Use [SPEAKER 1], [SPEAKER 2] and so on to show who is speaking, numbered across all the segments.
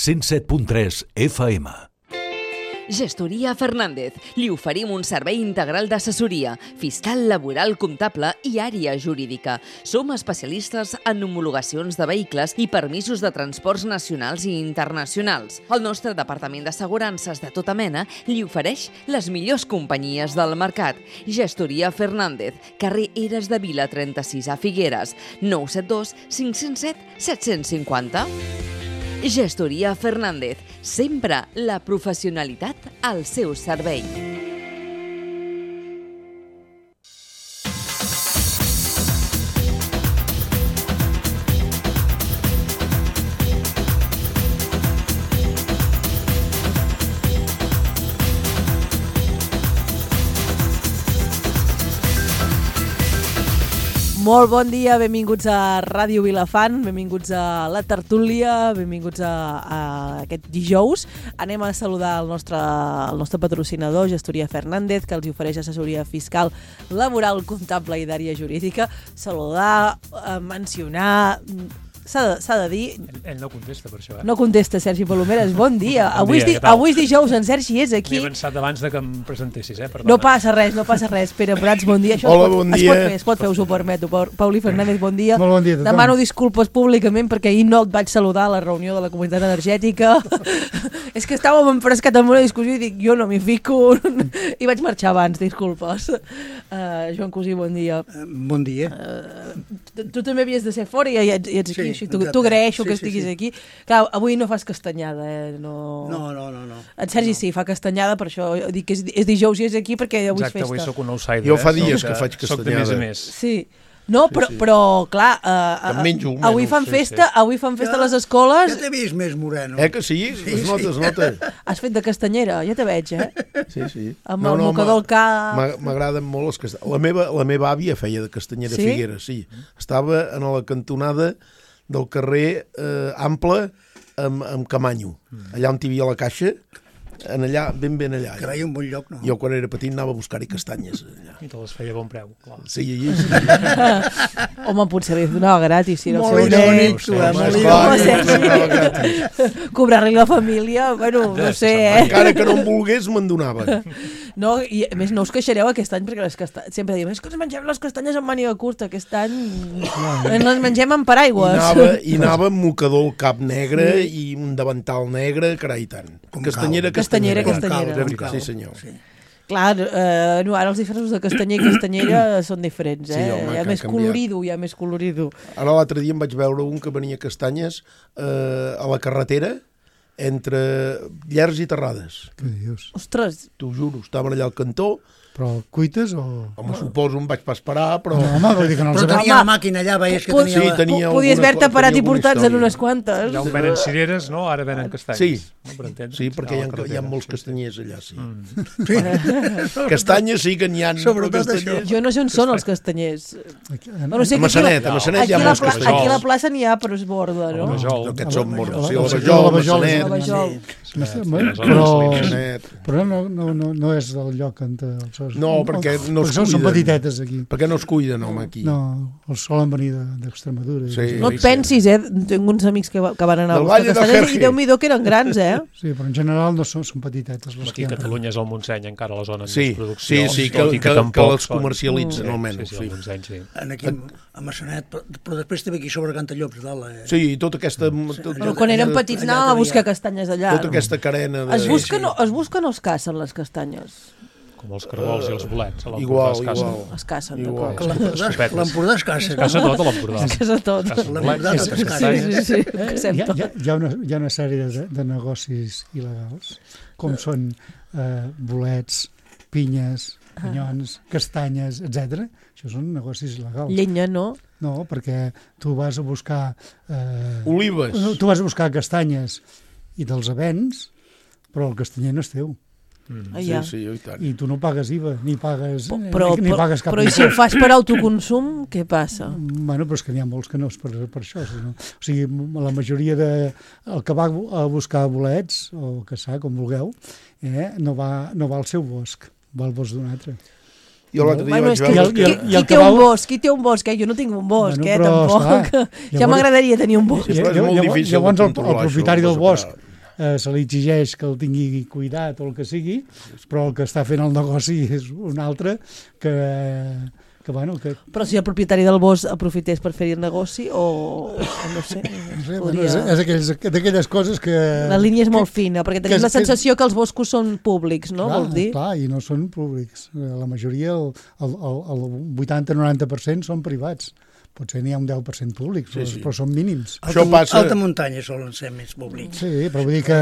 [SPEAKER 1] 107.3 FM.
[SPEAKER 2] Gestoria Fernández. Li oferim un servei integral d'assessoria, fiscal, laboral, comptable i àrea jurídica. Som especialistes en homologacions de vehicles i permisos de transports nacionals i internacionals. El nostre departament d'assegurances de tota mena li ofereix les millors companyies del mercat. Gestoria Fernández, carrer Eres de Vila 36 a Figueres, 972 507 750. Gestoria Fernández, sempre la professionalitat al seu servei.
[SPEAKER 3] Molt bon dia, benvinguts a Ràdio Vilafant, benvinguts a la tertúlia, benvinguts a aquest dijous. Anem a saludar el nostre patrocinador, Gestoria Fernández, que els ofereix assessoria fiscal, laboral, comptable i d'àrea jurídica. Saludar, mencionar... S'ha de dir...
[SPEAKER 4] Ell no contesta per això, eh?
[SPEAKER 3] No contesta, Sergi Palomeres. Bon dia.
[SPEAKER 4] Bon dia,
[SPEAKER 3] Avui és dijous, en Sergi és aquí.
[SPEAKER 4] M'he avançat abans de que em presentessis, Perdona.
[SPEAKER 3] No passa res. Pere Prats, bon dia. Això
[SPEAKER 5] Hola, bon dia.
[SPEAKER 3] Es pot fer, us ho permeto. Pauli Fernández, bon dia.
[SPEAKER 5] Molt bon dia a tothom.
[SPEAKER 3] Demano disculpes públicament perquè ahir no et vaig saludar a la reunió de la comunitat energètica. És que estàvem enfrescat en una discussió i dic, jo no m'hi fico. I vaig marxar abans, disculpes. Joan Cosí, bon dia.
[SPEAKER 5] Bon dia.
[SPEAKER 3] Tu també havies de ser fora i ets aquí.
[SPEAKER 5] Sí,
[SPEAKER 3] Tu agraeixo que estiguis aquí. Clar, avui no fas castanyada,
[SPEAKER 5] No.
[SPEAKER 3] En Sergi sí, fa castanyada, per això dic que és dijous i és aquí perquè avui és festa.
[SPEAKER 4] Exacte, avui soc un outsider.
[SPEAKER 5] Jo fa dies que faig castanyada.
[SPEAKER 4] Soc de més a més.
[SPEAKER 3] Sí. No, però clar, avui fan festa a les escoles.
[SPEAKER 6] Ja t'he vist més moreno.
[SPEAKER 5] Que sí? Es nota.
[SPEAKER 3] Has fet de castanyera, ja te veig,
[SPEAKER 5] Sí.
[SPEAKER 3] Amb el mocador al cap.
[SPEAKER 5] M'agraden molt les castanyes. La meva àvia feia de castanyera a Figueres, sí. Estava a la cantonada del carrer Ample amb Camanyo. Allà on hi havia la caixa, allà, ben allà.
[SPEAKER 6] Carai, un bon lloc, no?
[SPEAKER 5] Jo quan era petit anava a buscar-hi castanyes. Allà.
[SPEAKER 4] I te les feia a bon preu, clar.
[SPEAKER 5] Sí.
[SPEAKER 3] Home, potser li donava gratis, si era el seu
[SPEAKER 6] Molt
[SPEAKER 3] net. Cobrar-li la família, bueno, no sé,
[SPEAKER 5] Encara que no em volgués, me'n donava.
[SPEAKER 3] No, i a més no us queixareu aquest any perquè sempre diem, és que ens mengem les castanyes amb màniga curta, aquest any ens les mengem amb paraigües.
[SPEAKER 5] I anava amb mocador al cap negre i un davantal negre, carai, tant. Castanyera. Sí, senyor. Sí.
[SPEAKER 3] Clar, ara els diferents de castanyer i castanyera són diferents,
[SPEAKER 5] Sí, home,
[SPEAKER 3] hi ha més colorido,
[SPEAKER 5] Ara l'altre dia em vaig veure un que venia castanyes a la carretera entre Llers i Terrades.
[SPEAKER 7] Què dius?
[SPEAKER 3] Ostres!
[SPEAKER 5] T'ho juro, estaven allà al cantó.
[SPEAKER 7] Però cuites o...?
[SPEAKER 5] Home, suposo em vaig pas parar, però...
[SPEAKER 7] No, home, vull dir que no els
[SPEAKER 6] Però tenia la màquina allà, veies que tenia...
[SPEAKER 5] Sí, tenia
[SPEAKER 3] Podies haver-te parat i portats en
[SPEAKER 5] història.
[SPEAKER 3] unes quantes.
[SPEAKER 4] Allà on venen cireres, no? Ara venen castanyes.
[SPEAKER 5] Sí, perquè hi ha molts castanyers allà, sí. Castanyes sí que n'hi ha.
[SPEAKER 6] Sobretot això.
[SPEAKER 3] Jo no sé on són els castanyers.
[SPEAKER 5] A Massanet hi ha molts castanyers.
[SPEAKER 3] Aquí a la plaça n'hi ha, però és borda, no?
[SPEAKER 5] Aquests són morts. Sí,
[SPEAKER 7] la Vajol,
[SPEAKER 5] Massanet.
[SPEAKER 7] Però no és el lloc on els...
[SPEAKER 5] No, perquè no es
[SPEAKER 7] cuiden. Són petitetes aquí.
[SPEAKER 5] Perquè no es cuiden, home, aquí.
[SPEAKER 7] No, els solen venir d'Extremadura.
[SPEAKER 5] Sí.
[SPEAKER 3] No et pensis, tinc uns amics que van anar a
[SPEAKER 5] Del
[SPEAKER 3] buscar
[SPEAKER 5] Valle de
[SPEAKER 3] castanyes i
[SPEAKER 5] Jerje.
[SPEAKER 3] Déu-m'hi-do que eren grans,
[SPEAKER 7] Sí, però en general no són petitetes.
[SPEAKER 4] Aquí a Catalunya és el Montseny, encara la zona de
[SPEAKER 5] Sí,
[SPEAKER 4] producció.
[SPEAKER 5] que els comercialitzen, almenys.
[SPEAKER 4] Sí, el Montseny, sí.
[SPEAKER 6] Aquí a Massanet, però després també aquí sobre Cantallops, dalt.
[SPEAKER 5] Sí, tota aquesta...
[SPEAKER 3] Però quan érem petits anàvem a buscar castanyes allà.
[SPEAKER 5] Tota aquesta carena de...
[SPEAKER 3] Es busquen o es cacen les castanyes?
[SPEAKER 4] Com els cargols i els bolets.
[SPEAKER 5] Igual.
[SPEAKER 3] Es cacen,
[SPEAKER 5] Igual.
[SPEAKER 3] d'acord.
[SPEAKER 6] L'Empordà es caça.
[SPEAKER 4] Es caça tot a l'Empordà.
[SPEAKER 3] Es casa tot.
[SPEAKER 6] L'Empordà tot es caça.
[SPEAKER 3] Sí, caçem tot.
[SPEAKER 7] Hi ha una sèrie de negocis il·legals, com són bolets, pinyes, canyons, castanyes, etc. Això són negocis il·legals.
[SPEAKER 3] Llenya, no?
[SPEAKER 7] No, perquè tu vas a buscar...
[SPEAKER 5] Olives.
[SPEAKER 7] Tu vas a buscar castanyes i te'ls vens, però el castanyer no és teu.
[SPEAKER 5] Sí, i tant.
[SPEAKER 7] I tu no pagues IVA, ni pagues cap
[SPEAKER 3] però i si ho fas per autoconsum, què passa?
[SPEAKER 7] Bueno, però és que n'hi ha molts que no és per això. O sigui, la majoria el que va a buscar bolets, o caçar, com vulgueu, no va al seu bosc, va al bosc d'un altre.
[SPEAKER 5] Jo l'altre dia vaig veure...
[SPEAKER 3] Qui té un bosc? Jo no tinc un bosc,
[SPEAKER 7] però,
[SPEAKER 3] tampoc. Ja m'agradaria tenir un bosc.
[SPEAKER 5] Però és molt difícil
[SPEAKER 7] llavors
[SPEAKER 5] de controlar,
[SPEAKER 7] el propietari
[SPEAKER 5] això,
[SPEAKER 7] del bosc se li exigeix que el tingui cuidat o el que sigui, però el que està fent el negoci és un altre que bueno, que...
[SPEAKER 3] Però si el propietari del bosc aprofités per fer-hi el negoci o no sé,
[SPEAKER 7] podria... és d'aquelles coses que...
[SPEAKER 3] La línia és molt fina, perquè tenim la sensació que els boscos són públics, no?
[SPEAKER 7] Clar,
[SPEAKER 3] Vols dir?
[SPEAKER 7] Clar, i no són públics. La majoria, el 80-90% són privats. Potser n'hi ha un 10% públics, però són mínims.
[SPEAKER 6] Alta muntanya solen ser més públics.
[SPEAKER 7] Sí, però vull dir que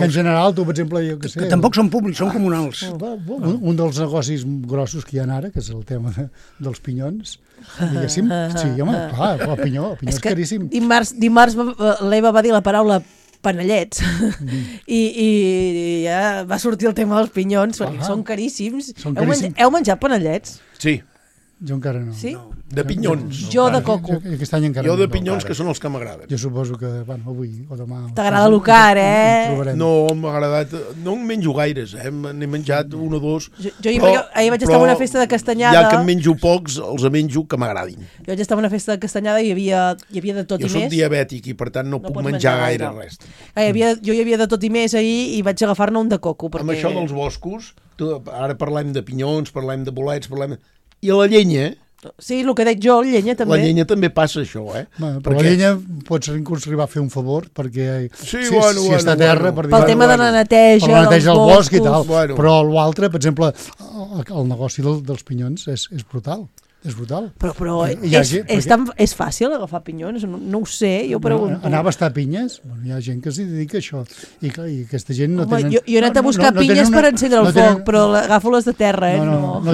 [SPEAKER 7] en general, tu, per exemple, jo què sé...
[SPEAKER 6] Que tampoc són públics, són comunals.
[SPEAKER 7] Un dels negocis grossos que hi ha ara, que és el tema dels pinyons, diguéssim, sí, home, clar, el pinyó és caríssim.
[SPEAKER 3] Dimarts l'Eva va dir la paraula panellets i ja va sortir el tema dels pinyons, perquè són caríssims. Heu menjat panellets?
[SPEAKER 5] Sí.
[SPEAKER 7] Jo encara no.
[SPEAKER 3] Sí?
[SPEAKER 5] De pinyons.
[SPEAKER 3] Jo de coco.
[SPEAKER 7] Aquest any encara
[SPEAKER 5] jo de pinyons, que són els que m'agraden.
[SPEAKER 7] Jo suposo que, bueno, avui o demà...
[SPEAKER 3] T'agrada l'ocar,
[SPEAKER 5] No, m'ha agradat... No en menjo gaires, n'he menjat un o dos.
[SPEAKER 3] Ahir vaig estar en una festa de castanyada...
[SPEAKER 5] Ja que en menjo pocs, els menjo que m'agradin.
[SPEAKER 3] Jo vaig estar en una festa de castanyada i hi havia de tot i més.
[SPEAKER 5] Jo soc diabètic i per tant no puc menjar gaire res.
[SPEAKER 3] Jo hi havia de tot i més ahir i vaig agafar-ne un de coco.
[SPEAKER 5] Amb això dels boscos, ara parlem de pinyons, parlem de bolets, i a la llenya...
[SPEAKER 3] Sí, el que dic jo, la llenya també.
[SPEAKER 5] La llenya també passa això,
[SPEAKER 7] Bueno, però la llenya pots inclús arribar a fer un favor, perquè si està a terra...
[SPEAKER 3] Pel tema de la neteja
[SPEAKER 7] del bosc i tal. Però l'altre, per exemple, el negoci dels pinyons és brutal. És brutal.
[SPEAKER 3] Però és fàcil agafar pinyons? No ho sé, jo pregunto.
[SPEAKER 7] Anar a bastar pinyes? Hi ha gent que s'hi dedica a això. I aquesta gent no tenen...
[SPEAKER 3] Jo he anat a buscar pinyes per encendre el foc, però agafo les de terra,
[SPEAKER 7] No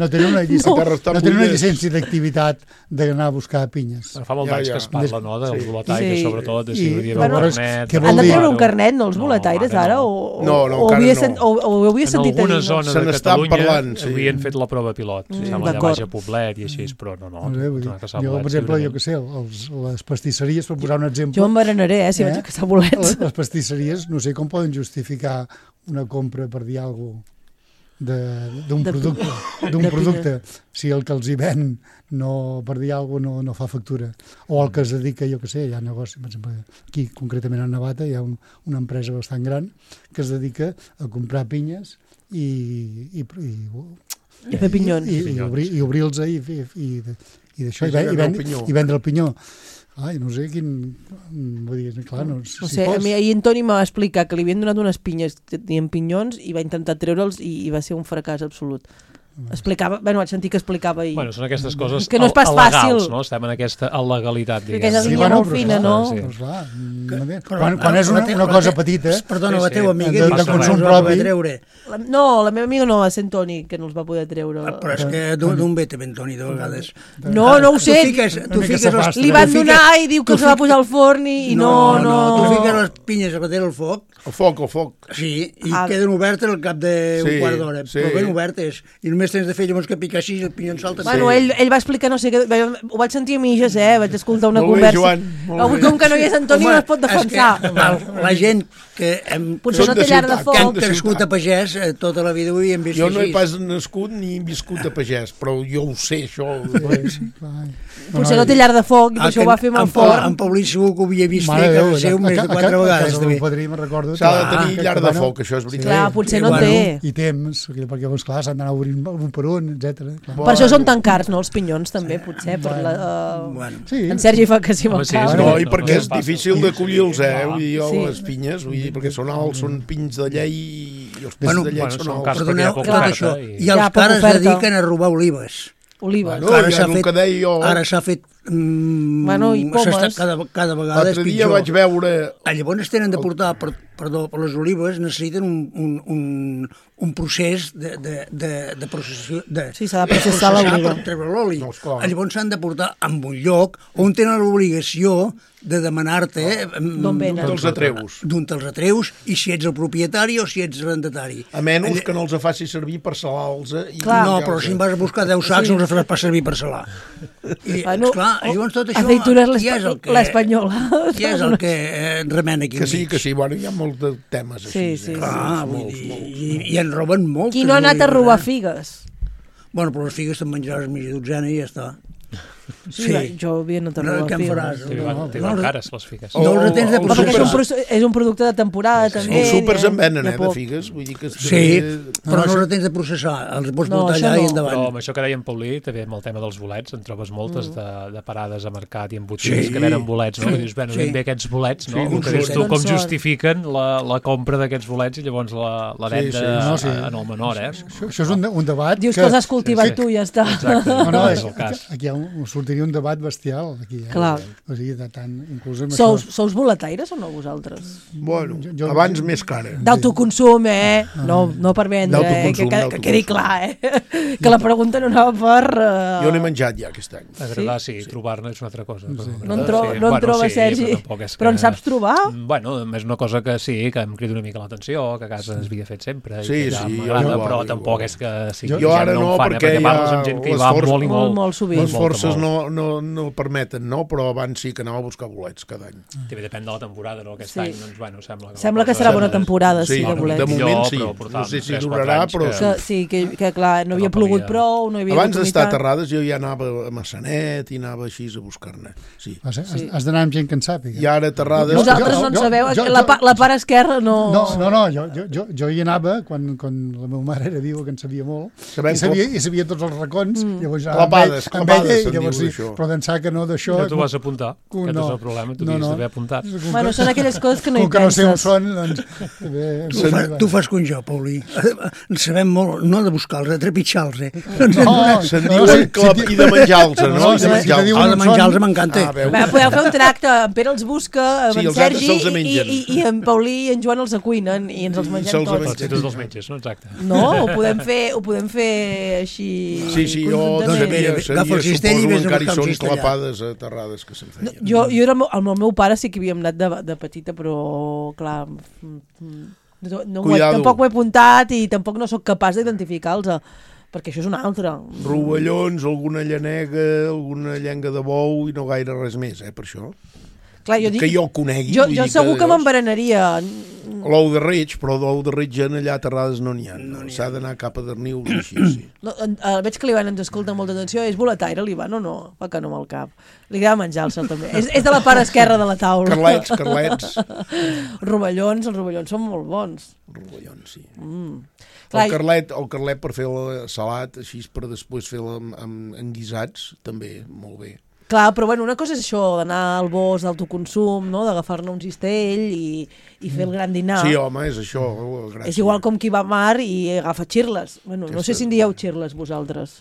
[SPEAKER 7] tenen una llicència d'activitat d'anar a buscar pinyes.
[SPEAKER 4] Fa molt d'anys que es parla, no?, dels boletaires, sobretot, de si hi havia un carnet...
[SPEAKER 3] Han de treure un carnet, no, els boletaires, ara?
[SPEAKER 5] No, encara no.
[SPEAKER 3] O ho havia sentit a dir?
[SPEAKER 4] En alguna zona de Catalunya havien fet la prova pilot. Sembla baix a Poblet i així, però no.
[SPEAKER 7] Jo, per exemple, jo què sé, les pastisseries, per posar un exemple...
[SPEAKER 3] Jo em berenaré, si vaig a caçar bolets.
[SPEAKER 7] Les pastisseries, no sé com poden justificar una compra, per dir alguna cosa, d'un producte, si el que els hi ven, per dir alguna cosa, no fa factura. O el que es dedica, jo què sé, hi ha negoci, per exemple, aquí, concretament a Navata, hi ha una empresa bastant gran que es dedica a comprar pinyes i
[SPEAKER 3] fer pinyons.
[SPEAKER 7] I obrir-los i vendre el pinyó. Ai, no sé quin... Vull dir, clar, no sé.
[SPEAKER 3] A mi ahir en Toni m'ha explicat que li havien donat unes pinyes que tenien pinyons i va intentar treure'ls i va ser un fracàs absolut. Explicava, vaig sentir que explicava i...
[SPEAKER 4] Són aquestes coses
[SPEAKER 3] que no és pas fàcil,
[SPEAKER 4] no? Estem en aquesta il·legalitat, diguem.
[SPEAKER 3] Perquè és línia molt fina, no?
[SPEAKER 7] Quan és una cosa petita...
[SPEAKER 6] Perdona, la teva amiga
[SPEAKER 7] de consum propi...
[SPEAKER 3] No, la meva amiga no, va ser en Toni, que no els va poder treure.
[SPEAKER 6] Però és que d'on ve també en Toni, de vegades?
[SPEAKER 3] No ho sé. Li van donar i diu que els va posar al forn i no...
[SPEAKER 6] Tu fiques les pinyes a bater al foc.
[SPEAKER 5] El foc.
[SPEAKER 6] Sí, i queden obertes al cap d'un quart d'hora, però ben obertes. I només tens de fer llavors que picar així i el pinyó en salta.
[SPEAKER 3] Bueno, ell va explicar no sé què, ho vaig sentir a mitges, vaig escoltar una conversa. Avui com que no hi és Antoni no es pot defensar.
[SPEAKER 6] La gent que
[SPEAKER 3] potser no té llar de foc,
[SPEAKER 6] que han crescut a pagès tota la vida ho havien vist
[SPEAKER 5] així.
[SPEAKER 6] Jo
[SPEAKER 5] no he pas nascut ni viscut a pagès, però jo ho sé, això.
[SPEAKER 3] Potser no té llar de foc i això ho va fer amb forn.
[SPEAKER 6] En Paulí segur que ho havia vist fer a casa seu més de 4 vegades.
[SPEAKER 7] A casa del padrí, me'n recordo.
[SPEAKER 5] S'ha de tenir llar de foc, això és veritat.
[SPEAKER 3] Clar, potser no té.
[SPEAKER 7] I temps, perquè clar, s'han d'anar obrint un per un, etc.
[SPEAKER 3] Per això són tan cars, no, els pinyons també, potser. En Sergi fa que sí me'l cap.
[SPEAKER 5] No, i perquè és difícil de collir-los, les pinyes, perquè són alts, són pins de llei i els pins de llei són alts.
[SPEAKER 6] Perdoneu, tot això. I els cares es dediquen a robar olives. Ara s'ha fet
[SPEAKER 3] i pomes
[SPEAKER 6] cada vegada és pitjor.
[SPEAKER 5] L'altre dia vaig veure...
[SPEAKER 6] Llavors tenen de portar, perdó, per les olives necessiten un procés de processació.
[SPEAKER 3] Sí, s'ha de processar l'oliva
[SPEAKER 6] per treure l'oli. Llavors s'han de portar a un lloc on tenen l'obligació de demanar-te
[SPEAKER 3] d'on
[SPEAKER 5] te'ls atreus.
[SPEAKER 6] D'on te'ls atreus i si ets el propietari o si ets arrendatari.
[SPEAKER 5] A menys que no els faci servir per salar-los.
[SPEAKER 6] No, però si em vas a buscar 10 sacs no els faràs pas servir per salar. I, esclar, llavors tot això...
[SPEAKER 3] Aceitures l'espanyola.
[SPEAKER 6] Qui és el que remena aquí?
[SPEAKER 5] Que sí, bueno, hi ha molts de temes així.
[SPEAKER 6] I en roben molts.
[SPEAKER 3] Qui no ha anat a robar figues?
[SPEAKER 6] Bueno, però les figues te'n menjaràs mitja dotzena i ja està.
[SPEAKER 3] Sí, jo havia notat
[SPEAKER 6] No,
[SPEAKER 3] la
[SPEAKER 6] què en
[SPEAKER 3] fil.
[SPEAKER 6] faràs?
[SPEAKER 4] T'hi van cares, les figues.
[SPEAKER 6] No els retens de
[SPEAKER 3] Perquè
[SPEAKER 6] processar.
[SPEAKER 3] és un producte de temporada, també.
[SPEAKER 5] Els súpers en venen,
[SPEAKER 3] hi ha
[SPEAKER 5] de
[SPEAKER 3] poc.
[SPEAKER 5] figues. Vull dir que...
[SPEAKER 6] Sí, però no els retens de processar. Els pots
[SPEAKER 3] No,
[SPEAKER 6] portar
[SPEAKER 3] això
[SPEAKER 6] allà i
[SPEAKER 3] no.
[SPEAKER 6] endavant.
[SPEAKER 4] Però amb això que deia en Paulí, també amb el tema dels bolets, en trobes moltes de parades a mercat i en botigues
[SPEAKER 6] Sí.
[SPEAKER 4] que venen bolets, no? Que dius, bueno,
[SPEAKER 6] Sí.
[SPEAKER 4] ben bé aquests bolets, no?
[SPEAKER 5] Sí,
[SPEAKER 4] El que dius tu,
[SPEAKER 3] d'on
[SPEAKER 4] com
[SPEAKER 3] són?
[SPEAKER 4] justifiquen la compra d'aquests bolets i llavors la venda
[SPEAKER 7] No, sí.
[SPEAKER 4] en el menor,
[SPEAKER 7] Això és un debat
[SPEAKER 3] Dius que els has cultivat
[SPEAKER 4] Sí.
[SPEAKER 3] tu i ja està.
[SPEAKER 4] Exacte,
[SPEAKER 7] No,
[SPEAKER 4] és el cas.
[SPEAKER 7] aquí sortiria un debat bestial. Aquí,
[SPEAKER 3] Clar.
[SPEAKER 7] O sigui, de tant, inclús amb
[SPEAKER 3] Sous boletaires o no vosaltres?
[SPEAKER 5] Bueno,
[SPEAKER 7] Jo-
[SPEAKER 5] abans més cara.
[SPEAKER 3] D'autoconsum, no per vendre,
[SPEAKER 5] D'autoconsum,
[SPEAKER 3] que quedi clar, que la pregunta no anava per...
[SPEAKER 5] Jo n'he menjat ja aquest any.
[SPEAKER 4] Agradar, sí, trobar-ne és una altra cosa.
[SPEAKER 3] No en trobes, Sergi, però en saps trobar?
[SPEAKER 4] Bueno, és una cosa que sí, que em crida una mica l'atenció, que a casa es havia fet sempre,
[SPEAKER 5] Sí,
[SPEAKER 4] i que ja
[SPEAKER 5] sí,
[SPEAKER 4] m'agrada,
[SPEAKER 5] jo
[SPEAKER 4] però
[SPEAKER 5] igual,
[SPEAKER 4] tampoc
[SPEAKER 5] igual.
[SPEAKER 4] és que sigui
[SPEAKER 5] Jo
[SPEAKER 4] gent
[SPEAKER 5] ara
[SPEAKER 4] no
[SPEAKER 5] no,
[SPEAKER 4] en fan,
[SPEAKER 5] perquè
[SPEAKER 4] perquè parles
[SPEAKER 5] ja
[SPEAKER 4] amb gent que hi
[SPEAKER 5] les
[SPEAKER 4] va
[SPEAKER 5] forces-
[SPEAKER 4] molt i molt.
[SPEAKER 3] Molt sovint.
[SPEAKER 5] Les forces
[SPEAKER 4] molt.
[SPEAKER 5] no permeten, no? Però abans sí que anava a buscar bolets cada any.
[SPEAKER 4] També depèn de la temporada, no? Aquest
[SPEAKER 3] Sí.
[SPEAKER 4] any, doncs, bueno, sembla que...
[SPEAKER 3] Sembla que serà bona temporada, sí, de
[SPEAKER 5] de
[SPEAKER 3] bolets.
[SPEAKER 5] moment sí.
[SPEAKER 4] Però portàvem
[SPEAKER 5] No sé si
[SPEAKER 4] 3-4
[SPEAKER 5] durarà,
[SPEAKER 4] anys
[SPEAKER 5] però...
[SPEAKER 4] que-
[SPEAKER 3] Sí, que clar, no havia
[SPEAKER 4] no
[SPEAKER 3] plogut
[SPEAKER 4] calia.
[SPEAKER 3] prou, no hi havia
[SPEAKER 5] Abans d'estar a
[SPEAKER 3] oportunitat.
[SPEAKER 5] Terrades jo ja anava a Massanet i anava així a buscar-ne. Sí.
[SPEAKER 7] Has d'anar amb gent que en sàpiga.
[SPEAKER 5] I ara a Terrades...
[SPEAKER 3] Vosaltres no en sabeu, la part esquerra no...
[SPEAKER 7] No, jo hi anava quan la meva mare era viva, que en sabia molt,
[SPEAKER 5] Sabem
[SPEAKER 7] i sabia tots els racons, llavors
[SPEAKER 5] Clapades,
[SPEAKER 7] amb
[SPEAKER 5] clapades,
[SPEAKER 7] ella,
[SPEAKER 5] se'n
[SPEAKER 7] i llavors
[SPEAKER 5] diu
[SPEAKER 7] sí,
[SPEAKER 5] d'això.
[SPEAKER 7] però d'ençà que no d'això...
[SPEAKER 4] No t'ho vas apuntar,
[SPEAKER 7] Com
[SPEAKER 4] aquest
[SPEAKER 7] no.
[SPEAKER 4] és el problema, tu
[SPEAKER 7] No,
[SPEAKER 4] havies
[SPEAKER 7] no.
[SPEAKER 4] d'haver apuntat.
[SPEAKER 3] Bueno, són aquelles coses que no hi
[SPEAKER 7] Com que no sé on
[SPEAKER 3] penses.
[SPEAKER 7] són, doncs... també-
[SPEAKER 6] Tu fas com jo, Paulí. En sabem molt, no de buscar-los, de trepitjar-los, eh?
[SPEAKER 5] Se'n diuen i de menjar-los, no?
[SPEAKER 7] No,
[SPEAKER 5] I de
[SPEAKER 7] si
[SPEAKER 5] menjar-los.
[SPEAKER 7] diuen
[SPEAKER 6] Ah, de
[SPEAKER 7] on
[SPEAKER 6] menjar-los
[SPEAKER 7] són.
[SPEAKER 6] m'encanta.
[SPEAKER 5] Ah, veus?
[SPEAKER 3] Va, podeu fer un tracte, en Pere els busca, amb
[SPEAKER 5] Sí,
[SPEAKER 3] en
[SPEAKER 5] els altres
[SPEAKER 3] Sergi
[SPEAKER 5] se'ls mengen.
[SPEAKER 3] i en Paulí i en Joan els acuinen i ens els mengem
[SPEAKER 5] se'ls
[SPEAKER 3] tots.
[SPEAKER 5] mengen.
[SPEAKER 4] Tots i tots els metges, no? Exacte.
[SPEAKER 3] No, ho podem fer així
[SPEAKER 5] Sí, jo
[SPEAKER 3] conjuntament.
[SPEAKER 6] Agafa el cistell i
[SPEAKER 5] suposo
[SPEAKER 6] vés
[SPEAKER 5] que
[SPEAKER 6] a
[SPEAKER 5] encara hi
[SPEAKER 6] buscar un
[SPEAKER 5] són
[SPEAKER 6] cistellà.
[SPEAKER 5] clapades a Terrades que se'n feien.
[SPEAKER 3] Jo era amb el meu pare sí que havíem anat de petita, però clar,
[SPEAKER 5] Cuidado.
[SPEAKER 3] tampoc ho he apuntat i tampoc no sóc capaç d'identificar-los, perquè això és una altra.
[SPEAKER 5] Rovellons, alguna llanega, alguna llenga de bou i no gaire res més, per això.
[SPEAKER 3] Clar, jo dic,
[SPEAKER 5] Que jo conegui.
[SPEAKER 3] jo
[SPEAKER 5] vull dir
[SPEAKER 3] segur que
[SPEAKER 5] llavors-
[SPEAKER 3] m'enverenaria.
[SPEAKER 5] L'ou de reig, però d'ou de reig allà a Terrades no n'hi ha. S'ha d'anar cap a Darnius i així, sí.
[SPEAKER 3] No, veig que l'Ivan ens escolta amb molta atenció. És boletaire, l'Ivan, o no? Va que no amb el cap. Li agrada menjar-se'l, també. És de la part esquerra de la taula.
[SPEAKER 5] Carlets.
[SPEAKER 3] Els rovellons són molt bons.
[SPEAKER 5] Rovellons, sí.
[SPEAKER 3] Clar,
[SPEAKER 5] El carlet per fer el salat, així per després fer-lo amb guisats, també, molt bé.
[SPEAKER 3] Clar, però bueno, una cosa és això, d'anar al bosc d'autoconsum, no? D'agafar-ne un cistell i fer el gran dinar.
[SPEAKER 5] Sí, home, és això. Gràcies.
[SPEAKER 3] És igual com qui va a mar i agafa xirles. Bueno, no sé si en dieu xirles, vosaltres.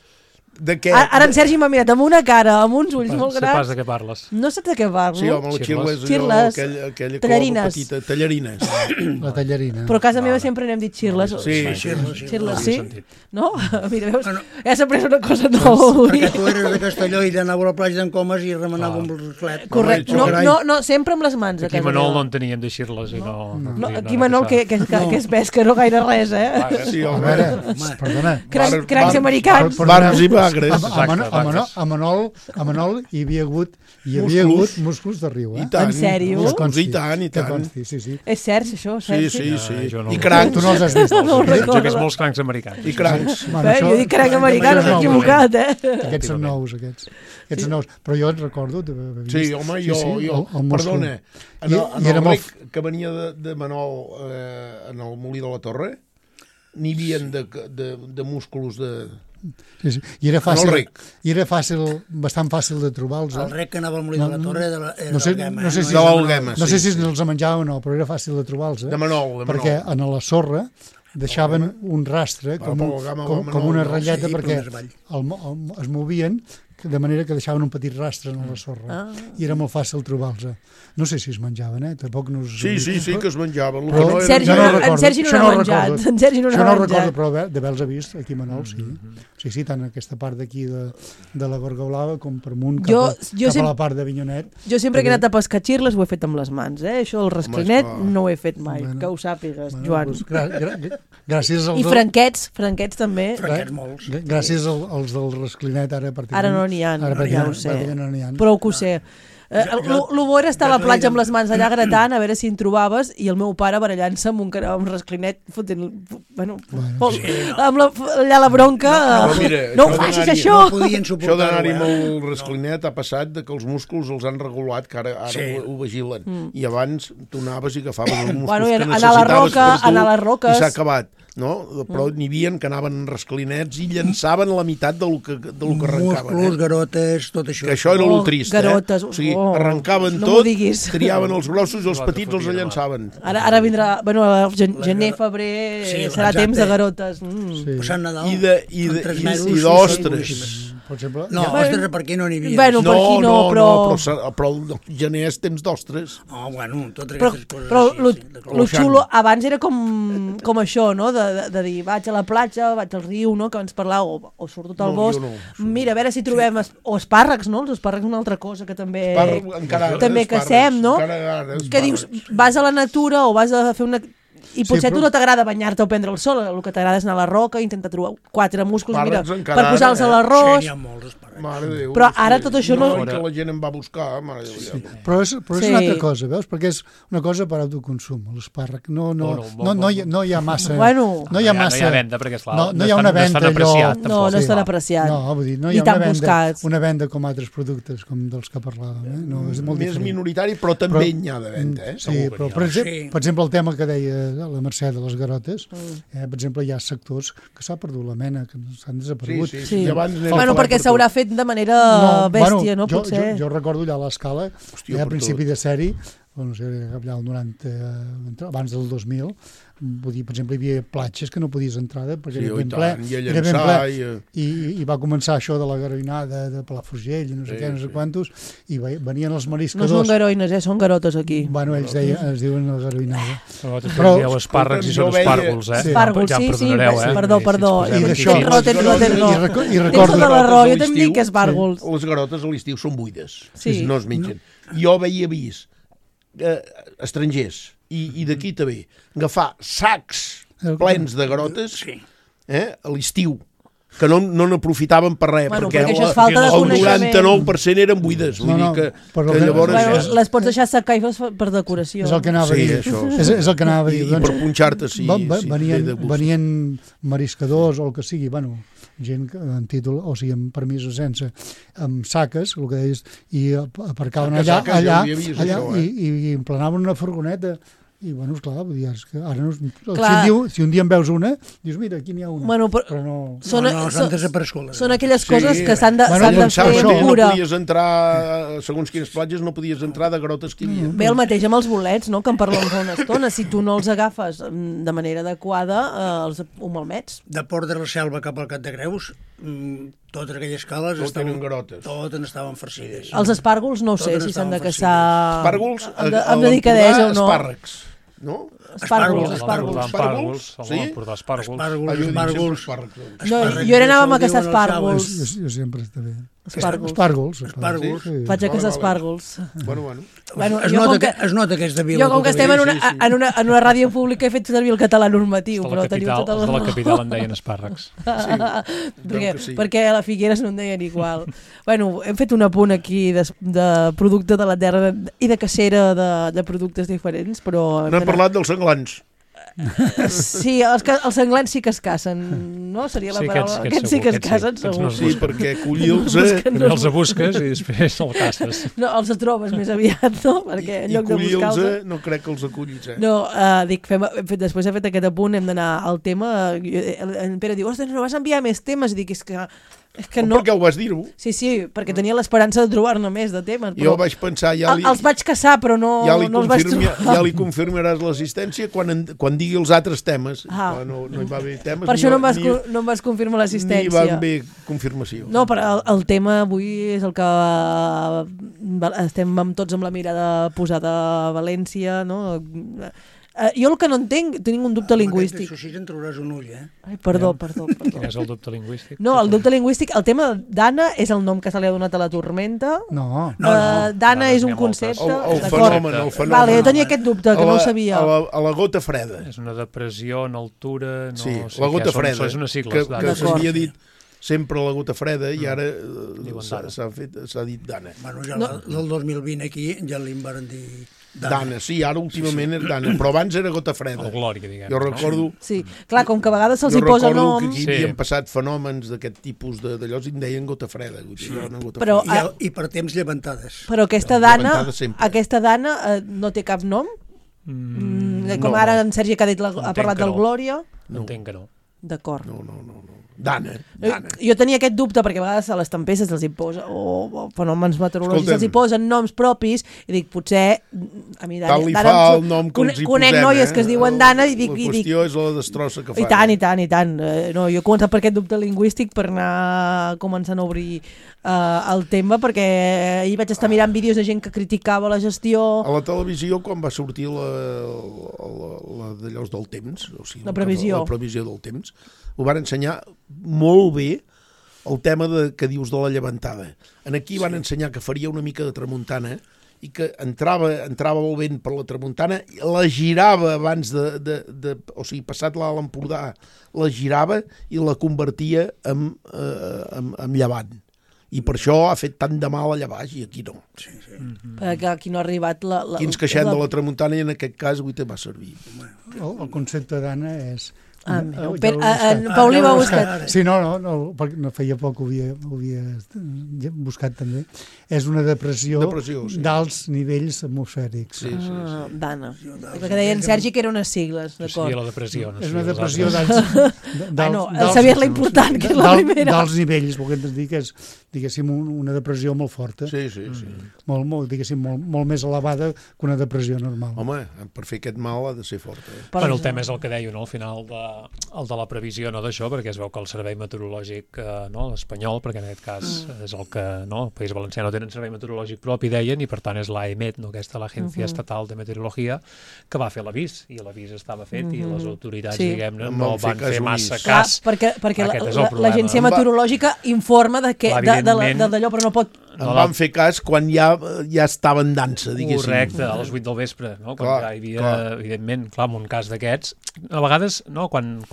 [SPEAKER 5] De què?
[SPEAKER 3] Ara en Sergi m'ha mirat amb una cara, amb uns ulls molt
[SPEAKER 4] Sé pas
[SPEAKER 3] grans.
[SPEAKER 4] de què parles.
[SPEAKER 3] No saps de què parlo?
[SPEAKER 5] Sí, home, la xirla és allò,
[SPEAKER 3] Xirles.
[SPEAKER 5] aquella
[SPEAKER 3] Tallarines.
[SPEAKER 5] cova petita. Tallarines.
[SPEAKER 7] La tallarina.
[SPEAKER 3] Però a casa meva sempre n'hem dit xirles.
[SPEAKER 5] Sí,
[SPEAKER 3] Xirles, sí?
[SPEAKER 4] sentit.
[SPEAKER 3] No? Mira, veus?
[SPEAKER 6] Bueno.
[SPEAKER 3] Ja s'ha pres una cosa nova.
[SPEAKER 6] Perquè tu eres de Castelló i d'anava a la platja d'en Comas i remenava amb el riflet.
[SPEAKER 3] Correcte.
[SPEAKER 5] Home,
[SPEAKER 3] No, sempre amb les mans. a
[SPEAKER 4] Aquí
[SPEAKER 3] casa
[SPEAKER 4] Manol no
[SPEAKER 3] meva.
[SPEAKER 4] en teníem de xirles i no...
[SPEAKER 3] No, aquí Manol, que és pesca, no gaire res, eh?
[SPEAKER 5] Sí,
[SPEAKER 7] A
[SPEAKER 5] home.
[SPEAKER 7] veure, perdona.
[SPEAKER 3] Crancs americans.
[SPEAKER 5] Barbs i bagres.
[SPEAKER 7] A Manol hi havia hagut músculs de riu, eh?
[SPEAKER 5] I tant.
[SPEAKER 3] En sèrio?
[SPEAKER 5] Músculs, i tant, i
[SPEAKER 7] Que
[SPEAKER 5] tant.
[SPEAKER 7] consti, sí.
[SPEAKER 3] És cert, això,
[SPEAKER 5] Sí,
[SPEAKER 3] Sergi?
[SPEAKER 5] sí, sí.
[SPEAKER 4] jo no
[SPEAKER 5] I
[SPEAKER 4] ho-
[SPEAKER 5] crancs.
[SPEAKER 7] Tu no els has vist.
[SPEAKER 3] No ho
[SPEAKER 4] Jo que és
[SPEAKER 3] recordo.
[SPEAKER 4] molts crancs americans.
[SPEAKER 5] I crancs.
[SPEAKER 3] Jo dic cranc americà, no
[SPEAKER 7] Això
[SPEAKER 3] m'he
[SPEAKER 7] és nou,
[SPEAKER 3] equivocat, eh?
[SPEAKER 7] Aquests són nous, aquests. Aquests són nous. Però jo et recordo d'haver vist.
[SPEAKER 5] Sí, home, jo
[SPEAKER 7] el múscul.
[SPEAKER 5] perdona, en
[SPEAKER 7] I era
[SPEAKER 5] el
[SPEAKER 7] molt
[SPEAKER 5] rec que venia de Manol en el Molí de la Torre, n'hi havia de músculs de...
[SPEAKER 7] Sí. I era
[SPEAKER 5] En el rec.
[SPEAKER 7] bastant fàcil de trobar-los.
[SPEAKER 6] El rec que anava al Molí de la Torre era
[SPEAKER 7] No sé,
[SPEAKER 6] d'Alguema.
[SPEAKER 7] no sé si,
[SPEAKER 5] De l'Alguema,
[SPEAKER 7] no sé
[SPEAKER 5] sí,
[SPEAKER 7] si els menjava o no, però era fàcil de trobar-los.
[SPEAKER 5] De Manol,
[SPEAKER 7] Perquè en la sorra deixaven un rastre com una ratlleta
[SPEAKER 6] sí,
[SPEAKER 7] perquè
[SPEAKER 6] però més
[SPEAKER 7] es movien de manera que deixaven un petit rastre en la sorra i era molt fàcil trobar-los. No sé si es menjaven, tampoc no us...
[SPEAKER 5] Sí, que es menjaven. El
[SPEAKER 7] Però-
[SPEAKER 5] que no
[SPEAKER 3] En
[SPEAKER 5] era-
[SPEAKER 3] Sergi
[SPEAKER 7] jo
[SPEAKER 3] no
[SPEAKER 7] recordo.
[SPEAKER 3] en Sergi no
[SPEAKER 7] Això
[SPEAKER 3] n'ha
[SPEAKER 7] no
[SPEAKER 3] menjat.
[SPEAKER 7] recordo.
[SPEAKER 3] En Sergi no
[SPEAKER 7] Això
[SPEAKER 3] n'ha
[SPEAKER 7] no recordo,
[SPEAKER 3] menjat.
[SPEAKER 7] però d'haver-los vist aquí a Manol, sí. Sí, tant aquesta part d'aquí de la Gorga Blava com per amunt cap a la part d'Avinyonet.
[SPEAKER 3] Jo sempre que he anat a pescar xirles ho he fet amb les mans, eh? Això del rasclinet
[SPEAKER 5] esclar.
[SPEAKER 3] no ho he fet mai,
[SPEAKER 7] Bueno.
[SPEAKER 3] que ho sàpigues, Joan.
[SPEAKER 7] Doncs, gràcies als
[SPEAKER 3] I franquets també.
[SPEAKER 6] Franquets molts.
[SPEAKER 7] gràcies als del rasclinet ara a partir
[SPEAKER 3] Ara no n'hi ha,
[SPEAKER 7] ara
[SPEAKER 3] ja ho sé.
[SPEAKER 7] no n'hi ha.
[SPEAKER 3] Prou que ho sé. Lo bo era estar a la platja amb les mans allà gratant, a veure si en trobaves, i el meu pare barallant-se amb un rasclinet, fotent... Allà la bronca... No ho facis, això!
[SPEAKER 5] Això d'anar-hi amb el rasclinet ha passat que els músculs els han regulat, que ara ho vigilen. I abans tu anaves i agafaves els músculs que necessitaves per tu i s'ha acabat. No? Però n'hi havia que anaven en rasclinets i llançaven la meitat del que arrencaven.
[SPEAKER 6] Músculs, garotes, tot això.
[SPEAKER 5] Que això era el trist,
[SPEAKER 3] garotes,
[SPEAKER 5] O sigui, arrencaven tot, triaven els grossos i els petits els llançaven.
[SPEAKER 3] Ara vindrà, bueno, gener, febrer, serà temps de garotes.
[SPEAKER 6] Passant Nadal,
[SPEAKER 5] I d'ostres.
[SPEAKER 7] Per exemple...
[SPEAKER 6] No, ostres, per aquí no n'hi havia.
[SPEAKER 3] Bueno, per aquí no,
[SPEAKER 5] però el gener és temps d'ostres.
[SPEAKER 6] Bueno, totes aquestes coses.
[SPEAKER 3] Però lo xulo abans era com això, no? De dir, vaig a la platja, vaig al riu, no? Que abans parlàveu, o surt tot al bosc. Mira, a veure si trobem... O espàrrecs, no? Els espàrrecs és una altra cosa que també cacem, no? Que dius, vas a la natura o vas a fer una... I potser a tu no t'agrada banyar-te o prendre el sol, el que t'agrada és anar a la roca i intentar trobar 4 músculs, mira, per posar-los a l'arròs.
[SPEAKER 6] N'hi ha molts espàrrecs.
[SPEAKER 3] Però ara tot això no...
[SPEAKER 5] Que la gent em va buscar, mare de Déu.
[SPEAKER 7] Però és una altra cosa, veus? Perquè és una cosa per autoconsum, l'espàrrec. No hi ha massa...
[SPEAKER 3] No
[SPEAKER 4] hi ha venda, perquè esclar,
[SPEAKER 7] no hi ha una venda allò...
[SPEAKER 3] No estan apreciat.
[SPEAKER 7] No, vull dir, no hi ha una venda com altres productes, com dels que parlàvem. No, és molt
[SPEAKER 5] més minoritari, però també n'hi ha de venda.
[SPEAKER 7] Sí, però per exemple el tema que deia la Mercè de les garotes, per exemple hi ha sectors que s'ha perdut la mena, que s'han desaparegut.
[SPEAKER 3] Bueno, perquè s'haurà fet de manera bèstia, no? Potser.
[SPEAKER 7] Jo recordo allà a l'Escala, a principi de sèrie, no sé, allà el 90, abans del 2000, vull dir, per exemple, hi havia platges que no podies entrar perquè era ben ple, i va començar això de la garoinada de Palafrugell, no sé què, no sé quantos, i venien els mariscadors.
[SPEAKER 3] No són garoines, són garotes aquí.
[SPEAKER 7] Bueno, ells es diuen la garoinada.
[SPEAKER 4] Però dieu espàrrecs i són espàrgols, eh?
[SPEAKER 3] Espàrgols, sí, perdó.
[SPEAKER 7] I d'això...
[SPEAKER 3] I recordo la raó, jo també dic espàrgols.
[SPEAKER 5] Les garotes a l'estiu són buides, no es mengen. Jo havia vist estrangers i d'aquí també agafar sacs plens de garotes a l'estiu que no n'aprofitaven per res, perquè el 99% eren buides, vull dir que llavors...
[SPEAKER 3] Les pots deixar secar i per decoració.
[SPEAKER 7] És el que anava a dir. És el que anava a dir.
[SPEAKER 5] I per punxar-te, sí.
[SPEAKER 7] Venien mariscadors o el que sigui, bueno, gent en títol, o sigui, amb permís o sense, amb saques, el que deies, i aparcaven allà i emplenaven una furgoneta. I, bueno, esclar, és que ara no, si un dia en veus una, dius, mira, aquí n'hi ha una.
[SPEAKER 3] Bueno,
[SPEAKER 7] però no...
[SPEAKER 6] S'han desaparegut.
[SPEAKER 3] Són aquelles coses que s'han de fer cura.
[SPEAKER 5] No podies entrar, segons quines platges, no podies entrar de garotes que hi havia.
[SPEAKER 3] Bé, el mateix amb els bolets, no?, que en parlem fa una estona. Si tu no els agafes de manera adequada, els ho malmets.
[SPEAKER 6] De Port de la Selva cap al Cap de Creus, totes aquelles cales totes estaven farcides.
[SPEAKER 3] Els espàrgols no sé si s'han de caçar
[SPEAKER 5] amb
[SPEAKER 3] delicadesa o no.
[SPEAKER 5] Espàrrecs, no?
[SPEAKER 4] Espàrgols.
[SPEAKER 5] Sí?
[SPEAKER 6] Espàrgols.
[SPEAKER 3] Jo ara anàvem a caçar espàrgols.
[SPEAKER 7] Jo sempre està bé.
[SPEAKER 3] Espàrgols. Vaig a caçar espàrgols.
[SPEAKER 6] Bueno, es nota que és de Vila.
[SPEAKER 3] Jo, com que estem en una ràdio pública, he fet servir el català normatiu.
[SPEAKER 4] Els de la capital en deien espàrrecs.
[SPEAKER 3] Perquè a la Figueres no en deien igual. Bueno, hem fet un apunt aquí de producte de la terra i de cacera de productes diferents, però...
[SPEAKER 5] No hem parlat dels senglans.
[SPEAKER 3] Sí, els senglans sí que es cacen, no? Seria la paraula. Aquests sí que es cacen, segur.
[SPEAKER 5] Sí, perquè collir-los...
[SPEAKER 4] També els busques i després el caces.
[SPEAKER 3] No, els trobes més aviat, no? Perquè en lloc de buscar-los...
[SPEAKER 5] no crec que els acollis,
[SPEAKER 3] No, dic, després he fet aquest apunt, hem d'anar al tema. En Pere diu, ostres, no vas enviar més temes? I dic, és que no...
[SPEAKER 5] Per què ho vas dir-ho?
[SPEAKER 3] Sí, perquè tenia l'esperança de trobar-ne més de temes.
[SPEAKER 5] Jo vaig pensar...
[SPEAKER 3] Els vaig caçar, però no els vaig trobar.
[SPEAKER 5] Ja li confirmaràs l'assistència quan digui els altres temes. No hi va haver temes...
[SPEAKER 3] Per això no em vas confirmar l'assistència.
[SPEAKER 5] Ni va haver confirmació.
[SPEAKER 3] No, però el tema avui és el que estem tots amb la mirada posada a València, no? Jo el que no entenc, tinc un dubte lingüístic.
[SPEAKER 6] Això sí que en trobaràs un ull,
[SPEAKER 3] Ai, perdó.
[SPEAKER 4] Quin és el dubte lingüístic?
[SPEAKER 3] No, el dubte lingüístic, el tema d'Anna és el nom que se li ha donat a la tormenta.
[SPEAKER 7] No.
[SPEAKER 3] D'Anna és un concepte.
[SPEAKER 5] El fenomen.
[SPEAKER 3] Vale, jo tenia aquest dubte, que no ho sabia.
[SPEAKER 5] A la gota freda.
[SPEAKER 4] És una depressió en altura...
[SPEAKER 5] Sí, la gota freda.
[SPEAKER 4] És una sigla.
[SPEAKER 5] Que s'havia dit sempre la gota freda i ara s'ha dit Dana.
[SPEAKER 6] Bueno, ja del 2020 aquí ja li van dir
[SPEAKER 5] Dana, sí, ara últimament és Dana, però abans era gota freda.
[SPEAKER 4] El Glòria, diguem.
[SPEAKER 5] Jo recordo...
[SPEAKER 3] Sí, clar, com que a vegades se'ls hi posa noms...
[SPEAKER 5] Jo recordo que aquí havien passat fenòmens d'aquest tipus d'allò i en deien gota freda.
[SPEAKER 3] Però,
[SPEAKER 6] I per temps llevantades.
[SPEAKER 3] Però aquesta Dana no té cap nom? Com ara en Sergi que ha parlat del Glòria?
[SPEAKER 4] Entenc que no.
[SPEAKER 3] D'acord.
[SPEAKER 5] No. Dana.
[SPEAKER 3] Jo tenia aquest dubte perquè a vegades a les tempestes se'ls hi posa o fenòmens meteorològics se'ls hi posen noms propis i dic, potser a mi
[SPEAKER 5] Dana el nom que els hi
[SPEAKER 3] conec noies que es diuen Dana i dic...
[SPEAKER 5] La qüestió és la destrossa que fa.
[SPEAKER 3] I tant. No, jo he començat per aquest dubte lingüístic per anar començant a obrir el tema, perquè ahir vaig estar mirant vídeos de gent que criticava la gestió...
[SPEAKER 5] A la televisió, quan va sortir la d'allò del temps, o sigui,
[SPEAKER 3] la previsió
[SPEAKER 5] del temps, ho van ensenyar molt bé el tema que dius de la llevantada. Aquí van ensenyar que faria una mica de tramuntana i que entrava el vent per la tramuntana, la girava abans o sigui, passat l'Alt Empordà, la girava i la convertia en llevant. I per això ha fet tant de mal allà baix i aquí no.
[SPEAKER 3] Perquè aquí no ha arribat
[SPEAKER 5] aquí ens queixem de la tramuntana i en aquest cas avui te va servir.
[SPEAKER 7] El concepte d'Anna és...
[SPEAKER 3] Paulí va buscar.
[SPEAKER 7] Sí, no, perquè no feia poc ho havia buscat també. És una depressió d'alts nivells atmosfèrics.
[SPEAKER 3] Dana. Perquè deien Sergi que eren unes sigles, d'acord.
[SPEAKER 4] Sí, la depressió.
[SPEAKER 7] És una depressió d'alts...
[SPEAKER 3] Saber-la important, que és la primera.
[SPEAKER 7] D'alts nivells, volguem dir que és, diguéssim, una depressió molt forta.
[SPEAKER 5] Sí.
[SPEAKER 7] Diguéssim, molt més elevada que una depressió normal.
[SPEAKER 5] Home, per fer aquest mal ha de ser forta.
[SPEAKER 4] Però el tema és el que deia, no?, al final el de la previsió, no d'això, perquè es veu que el servei meteorològic l'espanyol, perquè en aquest cas és el que el País Valencià no tenen servei meteorològic propi, deien, i per tant és l'AEMET, aquesta l'Agència Estatal de Meteorologia, que va fer l'avís, i l'avís estava fet i les autoritats, diguem-ne, no van fer massa cas.
[SPEAKER 3] Perquè l'Agència Meteorològica informa d'allò, però no pot...
[SPEAKER 5] En van fer cas quan ja estava en dansa, diguéssim.
[SPEAKER 4] Correcte, a les 8 del vespre, no? Quan ja hi havia, evidentment, clar, en un cas d'aquests, a vegades, no, quan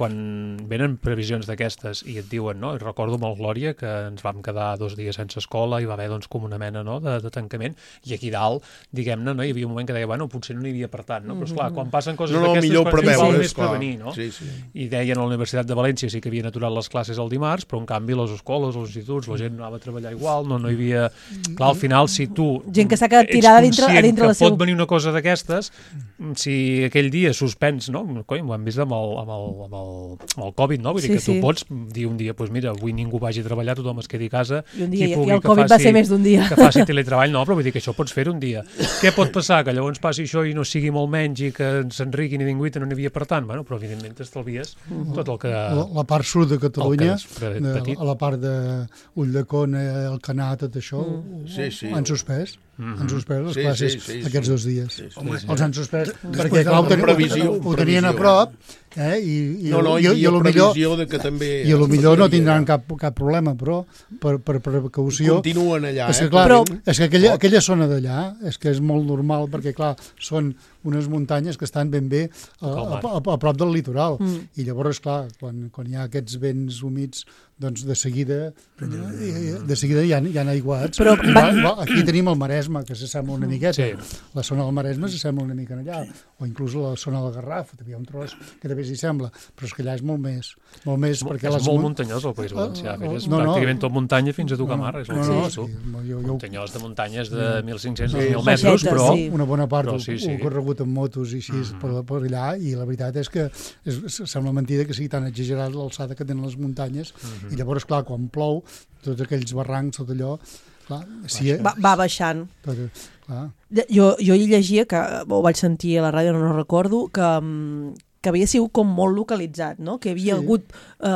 [SPEAKER 4] venen previsions d'aquestes i et diuen, no, i recordo amb el Glòria que ens vam quedar 2 dies sense escola i va haver, doncs, com una mena, no, de tancament, i aquí dalt, diguem-ne, no, hi havia un moment que deia, bueno, potser no n'hi havia per tant, no? Però, esclar, quan passen coses d'aquestes, quan més prevenir, no? I deien a la Universitat de València sí que havien aturat les classes el dimarts, però en canvi les escoles, els instituts, la gent anava a treballar igual, no hi havia... Clar, al final, si tu
[SPEAKER 3] gent que s'ha quedat tirada a dintre
[SPEAKER 4] que pot venir una cosa d'aquestes, si aquell dia suspens, no? Ho hem vist amb el Covid, no? Vull dir que tu pots dir un dia, doncs mira, avui ningú vagi a treballar, tothom es quedi a casa,
[SPEAKER 3] i el Covid va ser més d'un dia.
[SPEAKER 4] Que faci teletreball, no, però vull dir que això pots fer un dia. Què pot passar? Que llavors passi això i no sigui molt menys i que s'enriquin i ningú no n'hi havia per tant? Bueno, però evidentment t'estalvies tot el que...
[SPEAKER 7] La part sud de Catalunya, a la part d'Ulldecona, el Canà, tot això, han suspès. Han suspès les classes aquests 2 dies. Els han suspès perquè clar, ho tenien a prop i potser no tindran cap problema, però per precaució
[SPEAKER 5] continuen allà.
[SPEAKER 7] És que aquella zona d'allà és que és molt normal perquè clar, són unes muntanyes que estan ben bé a prop del litoral i llavors clar, quan hi ha aquests vents humits doncs de seguida hi ha aiguats.
[SPEAKER 3] Però
[SPEAKER 7] aquí tenim el Maresme, que s'assembla una miqueta. La zona del Maresme s'assembla una mica allà, o inclús la zona del Garraf, hi ha un tros que també s'hi sembla, però és que allà és molt més. Perquè
[SPEAKER 4] és molt muntanyós el País Valencià, és pràcticament tot muntanya fins a tocar mar, és el que dius tu. Muntanyós de muntanyes de 1.500-2.000 metres, però...
[SPEAKER 7] Una bona part ho he corregut amb motos i així per allà, i la veritat és que sembla mentida que sigui tan exagerat l'alçada que tenen les muntanyes, i llavors, clar, quan plou, tots aquells barrancs, tot allò, clar,
[SPEAKER 3] va baixant. Jo hi llegia, que ho vaig sentir a la ràdio, no recordo, que havia sigut com molt localitzat, no? Que hi havia hagut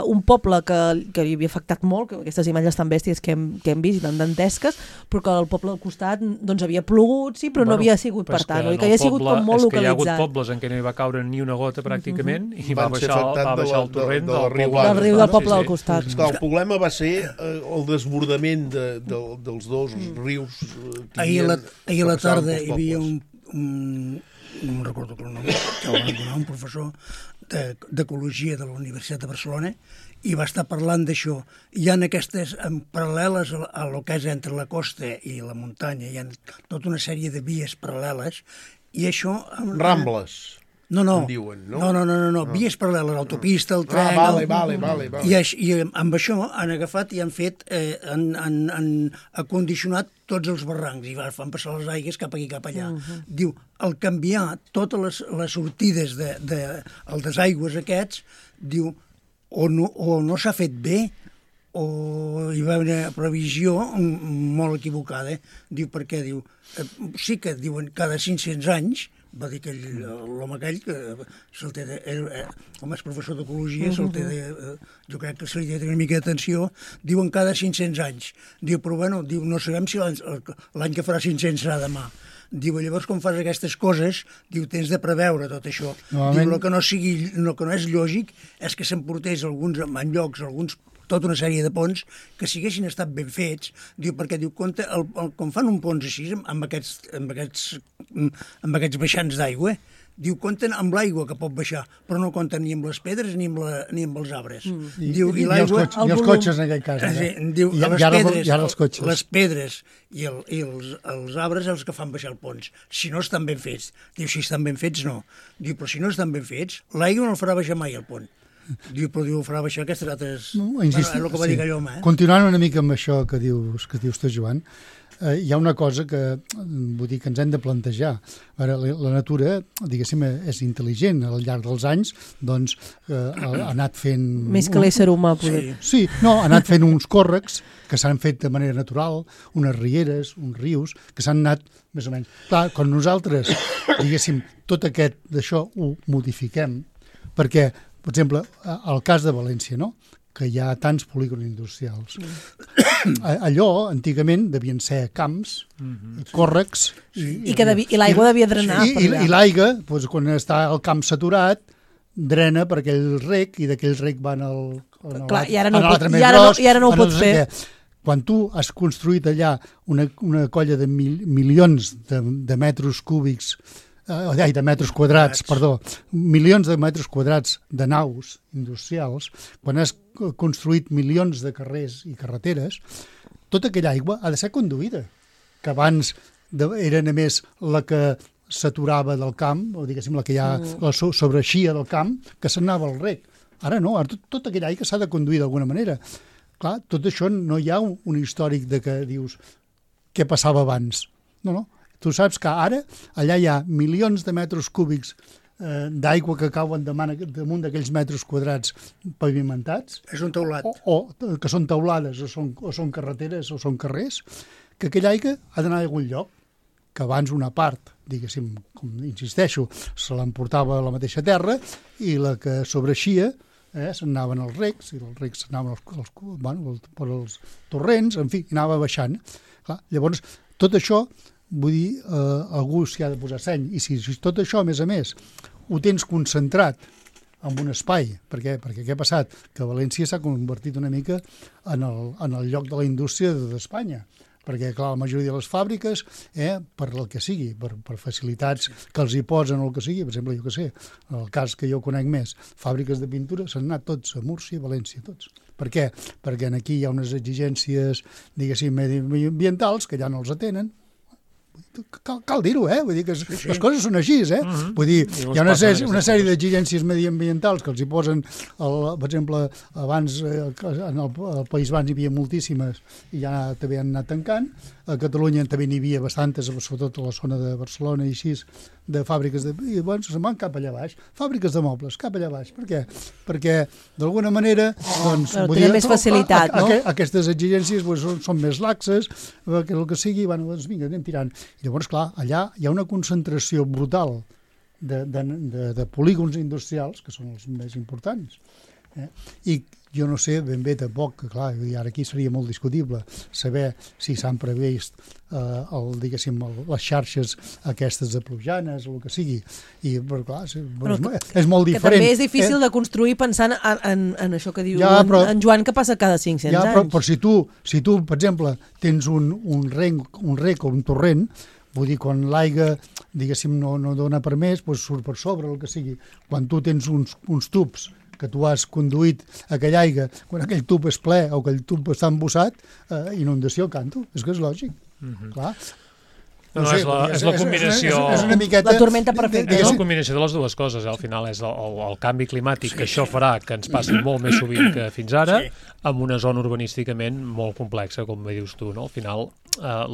[SPEAKER 3] un poble que hi havia afectat molt, que aquestes imatges tan bèsties que hem vist i tan dantesques, però que el poble al costat doncs havia plogut, sí, però no havia sigut per tant, que havia sigut com molt localitzat.
[SPEAKER 4] És que hi ha hagut pobles en què no hi va caure ni una gota pràcticament i va baixar el torrent
[SPEAKER 3] del riu del poble al costat.
[SPEAKER 5] El problema va ser el desbordament dels dos rius.
[SPEAKER 6] Ahir a la tarda hi havia no me'n recordo el nom, que el van donar un professor d'ecologia de la Universitat de Barcelona, i va estar parlant d'això. Hi ha aquestes paral·leles a lo que és entre la costa i la muntanya, hi ha tota una sèrie de vies paral·leles, i això...
[SPEAKER 5] Rambles.
[SPEAKER 6] No,
[SPEAKER 5] diuen, no?
[SPEAKER 6] No. Vies paral·leles, l'autopista, el tren...
[SPEAKER 5] Vale.
[SPEAKER 6] I amb això han agafat i han fet, han acondicionat tots els barrancs i van passar les aigües cap aquí, cap allà. Diu, al canviar totes les sortides el desaigües aquests, diu, o no s'ha fet bé, o hi va haver una previsió molt equivocada. Diu, per què? Diu, sí que diuen cada 500 anys, va dir que l'home aquell, que se'l té com és professor d'ecologia, jo crec que se li té una mica d'atenció, diuen cada 500 anys. Diu, però bueno, diu, no sabem si l'any que farà 500 serà demà. Diu, llavors, quan fas aquestes coses, diu, tens de preveure tot això. Diu, el que no és lògic és que s'emportés en llocs, tota una sèrie de ponts que si haguessin estat ben fets, diu, perquè diu, compte, quan fan un pont així, amb aquests baixants d'aigua, diu, compten amb l'aigua que pot baixar, però no compten ni amb les pedres ni amb els arbres. Diu,
[SPEAKER 7] I els cotxes, en aquest cas.
[SPEAKER 6] Diu,
[SPEAKER 7] les
[SPEAKER 6] pedres i els arbres els que fan baixar el pont. Si no estan ben fets. Diu, si estan ben fets, no. Diu, però si no estan ben fets, l'aigua no el farà baixar mai el pont. Diu, però ho farà baixar aquestes altres... És el que va dir aquell home.
[SPEAKER 7] Continuant una mica amb això que dius tu, Joan, hi ha una cosa que vull dir que ens hem de plantejar. Ara, la natura, diguéssim, és intel·ligent. Al llarg dels anys, doncs, ha anat fent...
[SPEAKER 3] Més que l'ésser humà, poder.
[SPEAKER 7] Sí, no, ha anat fent uns còrrecs que s'han fet de manera natural, unes rieres, uns rius, que s'han anat més o menys... Clar, quan nosaltres, diguéssim, tot aquest d'això ho modifiquem, perquè, per exemple, el cas de València, no?, que hi ha tants polígons industrials. Allò, antigament, devien ser camps, còrrecs...
[SPEAKER 3] I l'aigua devia drenar.
[SPEAKER 7] I l'aigua, doncs, quan està el camp saturat, drena per aquell rec, i d'aquell rec van
[SPEAKER 3] i ara no ho pots fer.
[SPEAKER 7] Quan tu has construït allà una colla de milions de metres cúbics, de metres quadrats, milions de metres quadrats de naus industrials, quan has construït milions de carrers i carreteres, tota aquella aigua ha de ser conduïda, que abans era només la que s'aturava del camp, o diguéssim la que ja la sobreixia del camp, que s'anava al rec. Ara no, tota aquella aigua s'ha de conduir d'alguna manera. Clar, tot això no hi ha un històric de que dius què passava abans. No. Tu saps que ara allà hi ha milions de metres cúbics d'aigua que cauen damunt d'aquells metres quadrats pavimentats.
[SPEAKER 6] És un teulat.
[SPEAKER 7] O que són teulades, o són carreteres, o són carrers, que aquella aigua ha d'anar a algun lloc, que abans una part, diguéssim, com insisteixo, se l'emportava a la mateixa terra, i la que sobreixia s'anaven als recs, i els recs s'anaven per als torrents, en fi, anava baixant. Clar, llavors, tot això, vull dir, algú s'hi ha de posar seny, i si tot això, a més, ho tens concentrat en un espai, perquè què ha passat? Que València s'ha convertit una mica en el lloc de la indústria d'Espanya, perquè, clar, la majoria de les fàbriques, per el que sigui, per facilitats que els hi posen o el que sigui, per exemple, jo que sé, en el cas que jo conec més, fàbriques de pintura, s'han anat tots a Múrcia i València, tots. Per què? Perquè aquí hi ha unes exigències, diguéssim, mediambientals que ja no els atenen. Cal dir-ho, vull dir que les coses són així, vull dir, hi ha una sèrie d'exigències mediambientals que els hi posen, per exemple, abans en el País Basc hi havia moltíssimes i ja també han anat tancant, a Catalunya també n'hi havia bastantes, sobretot a la zona de Barcelona i així, de fàbriques i bueno, se'n van cap allà baix, fàbriques de mobles, cap allà baix. Per què? Perquè d'alguna manera doncs,
[SPEAKER 3] tenen més facilitat, no?
[SPEAKER 7] Aquestes exigències són més laxes, que el que sigui, bueno, doncs vinga, anem tirant. I llavors, clar, allà hi ha una concentració brutal de polígons industrials, que són els més importants. I jo no sé ben bé tampoc, que clar, ara aquí seria molt discutible saber si s'han previst les xarxes aquestes de plujanes o el que sigui, però clar, és molt diferent.
[SPEAKER 3] Que també és difícil de construir pensant en això que diu en Joan, que passa cada 500 anys.
[SPEAKER 7] Però si tu, per exemple, tens un rec o un torrent, Vull dir, quan l'aigua, diguéssim, no dona per més, doncs surt per sobre, el que sigui. Quan tu tens uns tubs que tu has conduït aquella aigua, quan aquell tub és ple o aquell tub està embossat, inundació, canto. És que és lògic. Clar.
[SPEAKER 4] No, és la combinació...
[SPEAKER 7] És una miqueta...
[SPEAKER 3] La tormenta perfecta,
[SPEAKER 4] És la combinació de les dues coses. Al final és el canvi climàtic, que això farà que ens passi molt més sovint que fins ara, amb una zona urbanísticament molt complexa, com bé dius tu, no? Al final,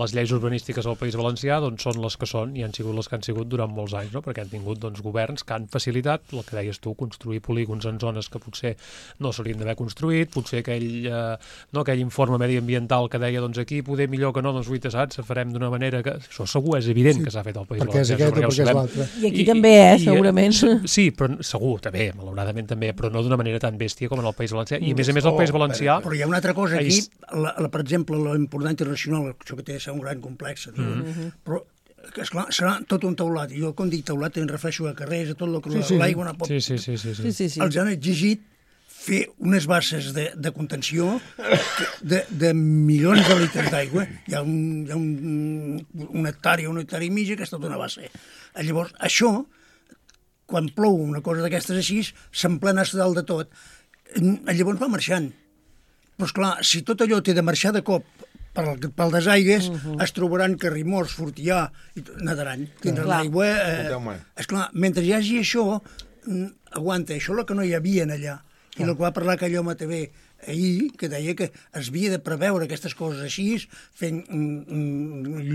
[SPEAKER 4] les lleis urbanístiques al País Valencià doncs, són les que són i han sigut les que han sigut durant molts anys, no? Perquè han tingut governs que han facilitat, el que deies tu, construir polígons en zones que potser no s'haurien d'haver construït, potser aquell informe mediambiental que deia aquí poder millor que no, saps? Farem d'una manera que... Això segur és evident que s'ha fet al País
[SPEAKER 7] Valencià. Perquè és aquest o perquè és l'altre.
[SPEAKER 3] I aquí també, segurament.
[SPEAKER 4] Sí, però segur, també, malauradament també, però no d'una manera tan bèstia com en el País Valencià. I a més al País Valencià...
[SPEAKER 6] Però hi ha una altra cosa aquí, per exemple, l'important internacional, això que té de ser un gran complex, però esclar, serà tot un teulat. Jo, quan dic teulat, em refereixo a carrers, a tot el que l'aigua no pot...
[SPEAKER 4] Sí.
[SPEAKER 6] Els han exigit fer unes basses de contenció de milions de litres d'aigua. Hi ha una hectàrea i mitja que és tota una base. Llavors, això, quan plou una cosa d'aquestes així, s'emplena a dalt de tot. Llavors va marxant. Però, esclar, si tot allò té de marxar de cop pel desaigues, es trobaran que Rimors, Fortià, nadaran. Tindran l'aigua... Esclar, mentre hi hagi això, aguanta, això és el que no hi havia allà. I el que va parlar aquell home també ahir, que deia que es havia de preveure aquestes coses així, fent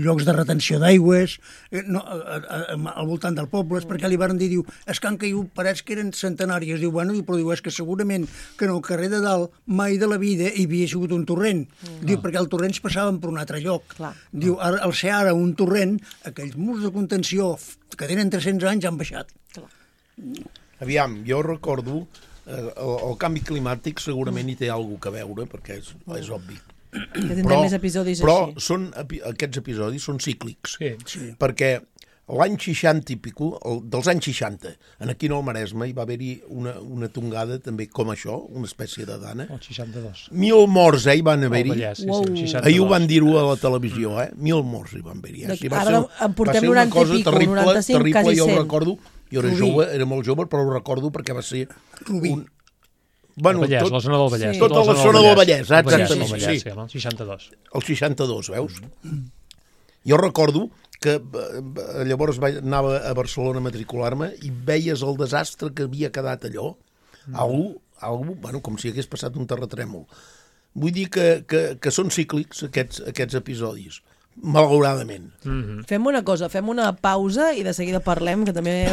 [SPEAKER 6] llocs de retenció d'aigües al voltant del poble, perquè li van dir, és que han caigut parets que eren centenàries. Però és que segurament que en el carrer de dalt mai de la vida hi havia sigut un torrent. Perquè els torrents passaven per un altre lloc. Al ser ara un torrent, aquells murs de contenció que tenen 300 anys han baixat.
[SPEAKER 5] Aviam, jo recordo... El canvi climàtic segurament hi té alguna cosa a veure, perquè és obvi.
[SPEAKER 3] Que tindrem més episodis
[SPEAKER 5] però
[SPEAKER 3] així.
[SPEAKER 5] Aquests episodis són cíclics,
[SPEAKER 6] perquè
[SPEAKER 5] l'any 60 i pico, dels anys 60, aquí en el Maresme hi va haver-hi una tongada també com això, una espècie de dana.
[SPEAKER 4] El 62.
[SPEAKER 5] 1.000 morts hi van haver-hi.
[SPEAKER 4] Ahir
[SPEAKER 5] ho van dir-ho a la televisió, 1.000 morts hi van haver-hi.
[SPEAKER 3] Ara en portem 90 i pico, 95, quasi 100.
[SPEAKER 5] Jo ho recordo. Jo era molt jove, però ho recordo perquè va ser...
[SPEAKER 6] Rubí.
[SPEAKER 5] Bueno,
[SPEAKER 4] la zona del Vallès.
[SPEAKER 5] Tota la zona del Vallès, exactament.
[SPEAKER 4] El 62.
[SPEAKER 5] El 62, veus? Jo recordo que llavors anava a Barcelona a matricular-me i veies el desastre que havia quedat allò. Algú, com si hagués passat un terratrèmol. Vull dir que són cíclics aquests episodis. Malauradament.
[SPEAKER 3] Fem una cosa, fem una pausa i de seguida parlem, que també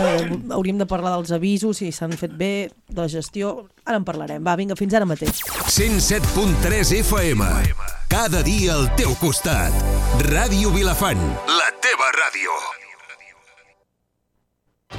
[SPEAKER 3] hauríem de parlar dels avisos, si s'han fet bé, de la gestió. Ara en parlarem. Va, vinga, fins ara mateix.
[SPEAKER 1] 107.3 FM. Cada dia al teu costat. Ràdio Vilafant. La teva ràdio.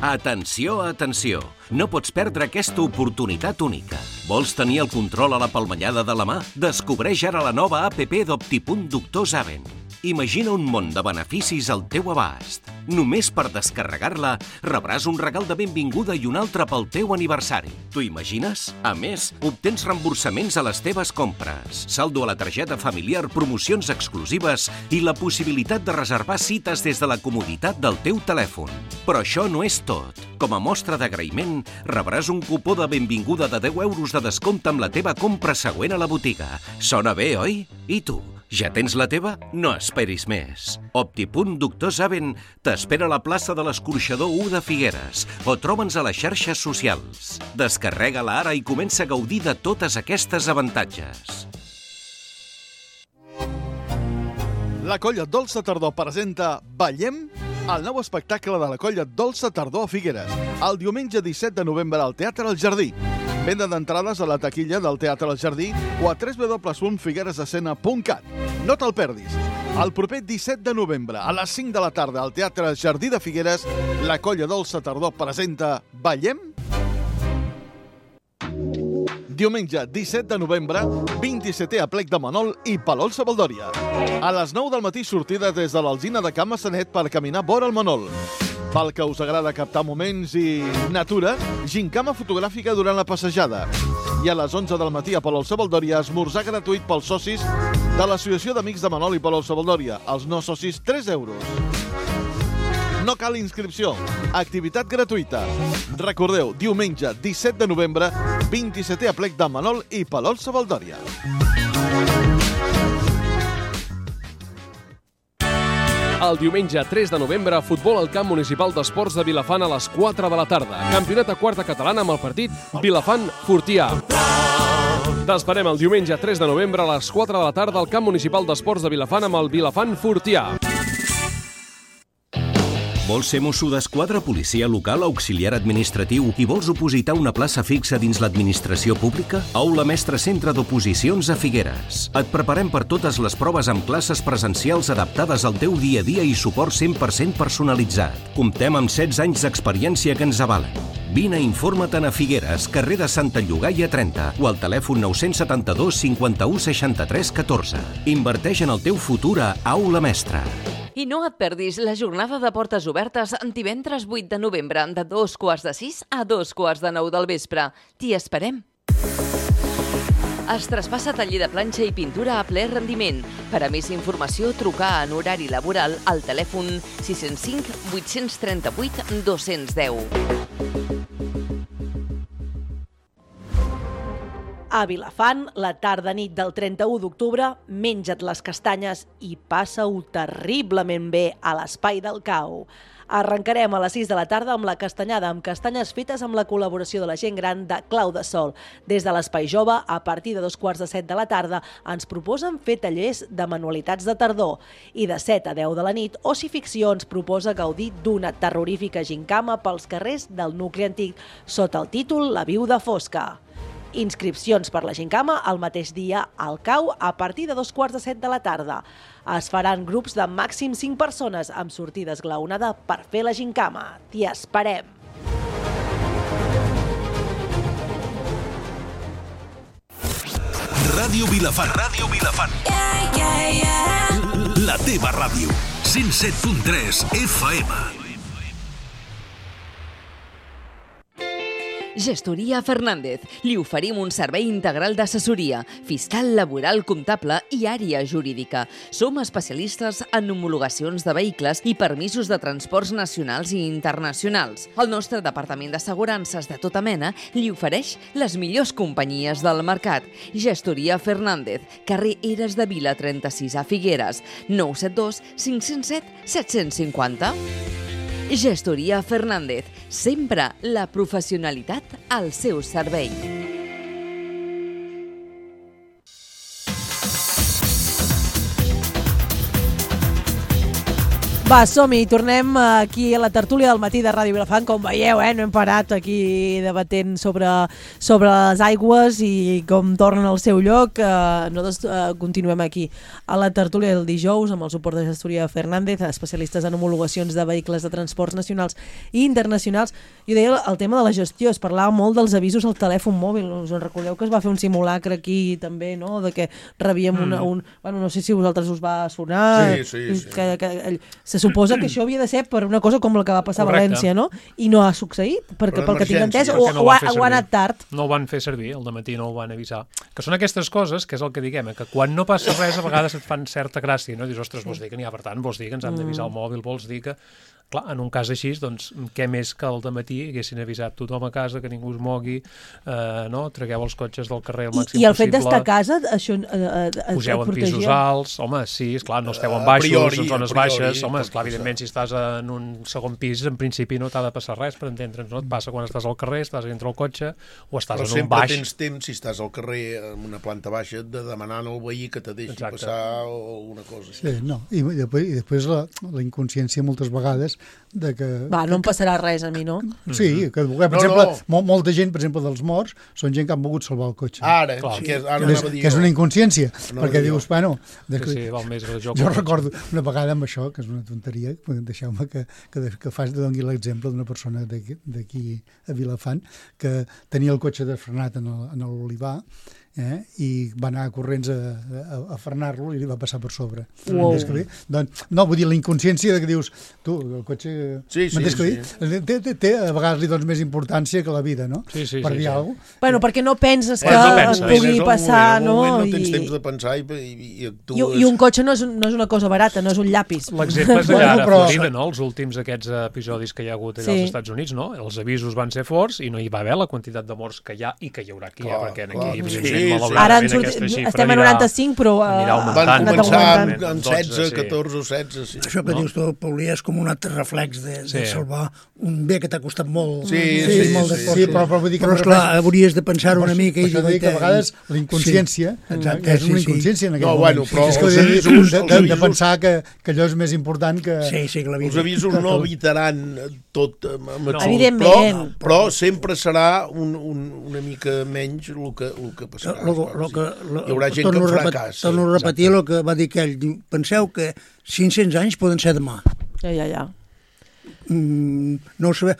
[SPEAKER 8] Atenció, atenció! No pots perdre aquesta oportunitat única. Vols tenir el control a la palmellada de la mà? Descobreix ara la nova APP d'Optipunt Doctor Zaven. Imagina un món de beneficis al teu abast. Només per descarregar-la rebràs un regal de benvinguda i un altre pel teu aniversari. T'ho imagines? A més, obtens reemborsaments a les teves compres, saldo a la targeta familiar, promocions exclusives i la possibilitat de reservar cites des de la comoditat del teu telèfon. Però això no és tot. Com a mostra d'agraïment, rebràs un cupó de benvinguda de 10 euros de descompte amb la teva compra següent a la botiga. Sona bé, oi? I tu? Ja tens la teva? No esperis més. Optipunt Doctor Zaven t'espera a la plaça de l'Escorxador 1 de Figueres o troba'ns a les xarxes socials. Descarrega-la ara i comença a gaudir de totes aquestes avantatges.
[SPEAKER 9] La Colla Dolça Tardor presenta Ballem, el nou espectacle de la Colla Dolça Tardor a Figueres, el diumenge 17 de novembre al Teatre El Jardí. Venda d'entrades a la taquilla del Teatre El Jardí o a www.figueresescena.cat. No te'l perdis. El proper 17 de novembre, a les 5 de la tarda, al Teatre Jardí de Figueres, la Colla Dolça Tardor presenta Ballem. Diumenge 17 de novembre, 27è aplec de Manol i Palol Sabaldòria. A les 9 del matí sortida des de l'Alzina de Can Massanet per caminar vora el Manol. Pel que us agrada captar moments i natura, gincama fotogràfica durant la passejada. I a les 11 del matí a Palol Sabaldòria, esmorzar gratuït pels socis de l'Associació d'Amics de Manol i Palol Sabaldòria. Els no socis, 3 euros. No cal inscripció. Activitat gratuïta. Recordeu, diumenge 17 de novembre, 27è aplec de Manol i Palol-Savaldòria.
[SPEAKER 10] El diumenge 3 de novembre, futbol al camp municipal d'esports de Vilafant a les 4 de la tarda. Campionat a quarta catalana amb el partit Vilafant-Fortià. T'esperem el diumenge 3 de novembre a les 4 de la tarda al camp municipal d'esports de Vilafant amb el Vilafant-Fortià.
[SPEAKER 8] Vols ser mosso d'esquadra, policia local, auxiliar administratiu i vols opositar una plaça fixa dins l'administració pública? Aula Mestre Centre d'Oposicions a Figueres. Et preparem per totes les proves amb classes presencials adaptades al teu dia a dia i suport 100% personalitzat. Comptem amb 16 anys d'experiència que ens avalen. Vine i informa-te'n a Figueres, carrer de Santa Llogaia 30 o al telèfon 972 51 63 14. Inverteix en el teu futur a Aula Mestre.
[SPEAKER 2] I no et perdis la jornada de portes obertes divendres 8 de novembre de 2:45 a 2:45 del vespre. T'hi esperem. Es traspassa taller de planxa i pintura a ple rendiment. Per a més informació, trucar en horari laboral al telèfon 605 838 210.
[SPEAKER 3] A Vilafant, la tarda-nit del 31 d'octubre, menja't les castanyes i passa-ho terriblement bé a l'Espai del Cau. Arrencarem a les 6 de la tarda amb la castanyada amb castanyes fetes amb la col·laboració de la gent gran de Clau de Sol. Des de l'Espai Jove, a partir de 2:45 de la tarda, ens proposen fer tallers de manualitats de tardor i de 7 a 10 de la nit, Oci Ficció ens proposa gaudir d'una terrorífica gincama pels carrers del nucli antic sota el títol La viuda fosca. Inscripcions per la gincama el mateix dia al Cau a partir de 2:45 de la tarda. Es faran grups de màxim 5 persones amb sortida esglaonada per fer la gincama. T'hi esperem!
[SPEAKER 1] Ràdio Vilafant. Ràdio Vilafant. La teva ràdio. 107.3 FM.
[SPEAKER 2] Gestoria Fernández. Li oferim un servei integral d'assessoria, fiscal, laboral, comptable i àrea jurídica. Som especialistes en homologacions de vehicles i permisos de transports nacionals i internacionals. El nostre departament d'assegurances de tota mena li ofereix les millors companyies del mercat. Gestoria Fernández, carrer Eres de Vila 36 a Figueres, 972 507 750. Gestoria Fernández, sempre la professionalitat al seu servei.
[SPEAKER 3] Va, som-hi, tornem aquí a la tertúlia del matí de Ràdio Vilafant. Com veieu, no hem parat aquí debatent sobre les aigües i com tornen al seu lloc. Nosaltres continuem aquí a la tertúlia del dijous amb el suport de Gestoria Fernández, especialistes en homologacions de vehicles de transports nacionals i internacionals. Jo deia el tema de la gestió, es parlava molt dels avisos al telèfon mòbil. Us en recordeu que es va fer un simulacre aquí també, no?, de que rebíem un... Bueno, no sé si a vosaltres us va sonar.
[SPEAKER 5] Sí.
[SPEAKER 3] Se suposa que això havia de ser per una cosa com la que va passar a València, no? I no ha succeït, perquè pel que tinc entès o ha anat tard.
[SPEAKER 4] No ho van fer servir, al dematí no ho van avisar. Que són aquestes coses, que és el que diguem, que quan no passa res a vegades et fan certa gràcia, no? Dius, ostres, vols dir que n'hi ha, per tant, vols dir que ens han d'avisar al mòbil, vols dir que... Clar, en un cas així, doncs, què més que al dematí haguessin avisat tothom a casa, que ningú es mogui, no? Tragueu els cotxes del carrer al màxim possible.
[SPEAKER 3] I el fet d'estar a casa, això
[SPEAKER 4] pugeu en pisos alts, home, sí, esclar, no esteu en baixos, en zones baixes, home, esclar, evidentment, si estàs en un segon pis, en principi no t'ha de passar res, per entendre'ns, no? Et passa quan estàs al carrer, estàs dintre el cotxe, o estàs en un baix.
[SPEAKER 5] Però sempre tens temps, si estàs al carrer en una planta baixa, de demanar al veí que te deixi passar o alguna cosa així.
[SPEAKER 7] Sí, no, i després la inconsciència moltes vegades de que...
[SPEAKER 3] Va, no em passarà res a mi, no?
[SPEAKER 7] Sí, que per exemple, molta gent, per exemple, dels morts, són gent que han volgut salvar el cotxe.
[SPEAKER 5] Ara, que
[SPEAKER 7] és una inconsciència, perquè dius, bueno...
[SPEAKER 4] Jo
[SPEAKER 7] recordo una vegada amb això, que és una tonteria, deixeu-me que doni l'exemple d'una persona d'aquí a Vilafant, que tenia el cotxe desfrenat en l'Olivar, i va anar corrents a frenar-lo i li va passar per sobre.
[SPEAKER 3] Wow.
[SPEAKER 7] Doncs, no, vull dir, la inconsciència que dius, tu, el cotxe...
[SPEAKER 5] Sí.
[SPEAKER 7] Té a vegades li dones més importància que la vida, no?
[SPEAKER 4] Sí.
[SPEAKER 7] Per dir alguna cosa.
[SPEAKER 3] Bueno, perquè no penses que et pugui passar, no?
[SPEAKER 5] No tens temps de pensar i actues...
[SPEAKER 3] I un cotxe no és una cosa barata, no és un llapis.
[SPEAKER 4] L'exemple és allà a Florida, no? Els últims aquests episodis que hi ha hagut allà als Estats Units, no? Els avisos van ser forts i no hi va haver la quantitat de morts que hi ha i que hi haurà aquí, perquè aquí, malauradament, aquesta xifra
[SPEAKER 3] estem a 95, però
[SPEAKER 5] van començar amb 16, 14 o 16. Sí.
[SPEAKER 6] Això que dius tu, Paulí, és com un altre reflex de salvar un bé que t'ha costat molt.
[SPEAKER 7] Molt d'esforç.
[SPEAKER 6] Però vull dir que esclar, hauries de pensar-ho una mica.
[SPEAKER 7] Això dir que a vegades la inconsciència és una inconsciència en aquest
[SPEAKER 5] moment.
[SPEAKER 7] Però de pensar que allò és més important que...
[SPEAKER 5] Els avisos no evitaran tot,
[SPEAKER 3] evidentment,
[SPEAKER 5] però sempre serà una mica menys el que passarà. Hi haurà gent que en farà cas.
[SPEAKER 6] Torno a repetir el que va dir aquell. Penseu que 500 anys poden ser demà.
[SPEAKER 3] Ja.
[SPEAKER 6] No ho sabem.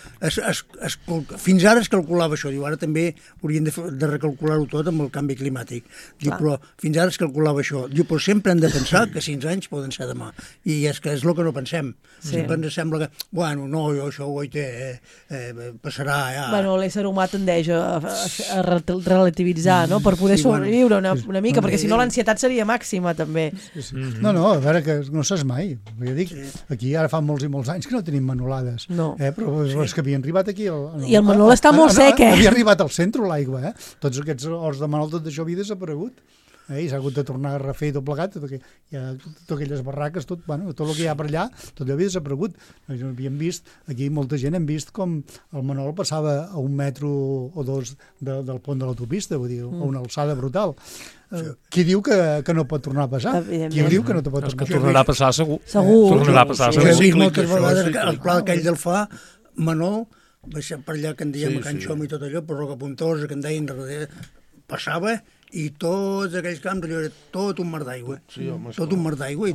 [SPEAKER 6] Fins ara es calculava això. Diu, ara també haurien de recalcular-ho tot amb el canvi climàtic. Diu, però fins ara es calculava això. Diu, però sempre hem de pensar que 5 anys poden ser demà. I és que és el que no pensem. Sempre ens sembla que, bueno, no, això ho passarà ja.
[SPEAKER 3] Bueno, l'ésser humà tendeix a relativitzar, no?, per poder sobreviure una mica, perquè si no l'ansietat seria màxima, també.
[SPEAKER 7] No, a veure, que no saps mai. Jo dic, aquí ara fa molts i molts anys que no tenim manolades.
[SPEAKER 3] No.
[SPEAKER 7] Però és que havia arribat aquí...
[SPEAKER 3] I el Manol està molt sec,
[SPEAKER 7] Havia arribat al centre l'aigua, Tots aquests horts de Manol, tot això havia desaparegut. I s'ha hagut de tornar a refer tot plegat, totes aquelles barraques, tot el que hi ha per allà, tot havia desaparegut. Havíem vist, aquí molta gent hem vist com el Manol passava a 1 metro o 2 del pont de l'autopista, vull dir, a una alçada brutal. Qui diu que no pot tornar a passar? Qui diu que no pot tornar a passar?
[SPEAKER 4] Que tornarà a passar segur.
[SPEAKER 3] Tornarà
[SPEAKER 4] a passar
[SPEAKER 6] segur. He vist moltes vegades el pla aquell del Fa, Manol, baixant per allà que en diem a Can Xom i tot allò, per Roca Puntosa, que en deien darrere, passava i tots aquells camps, allò era tot un mar d'aigua. Tot un mar d'aigua.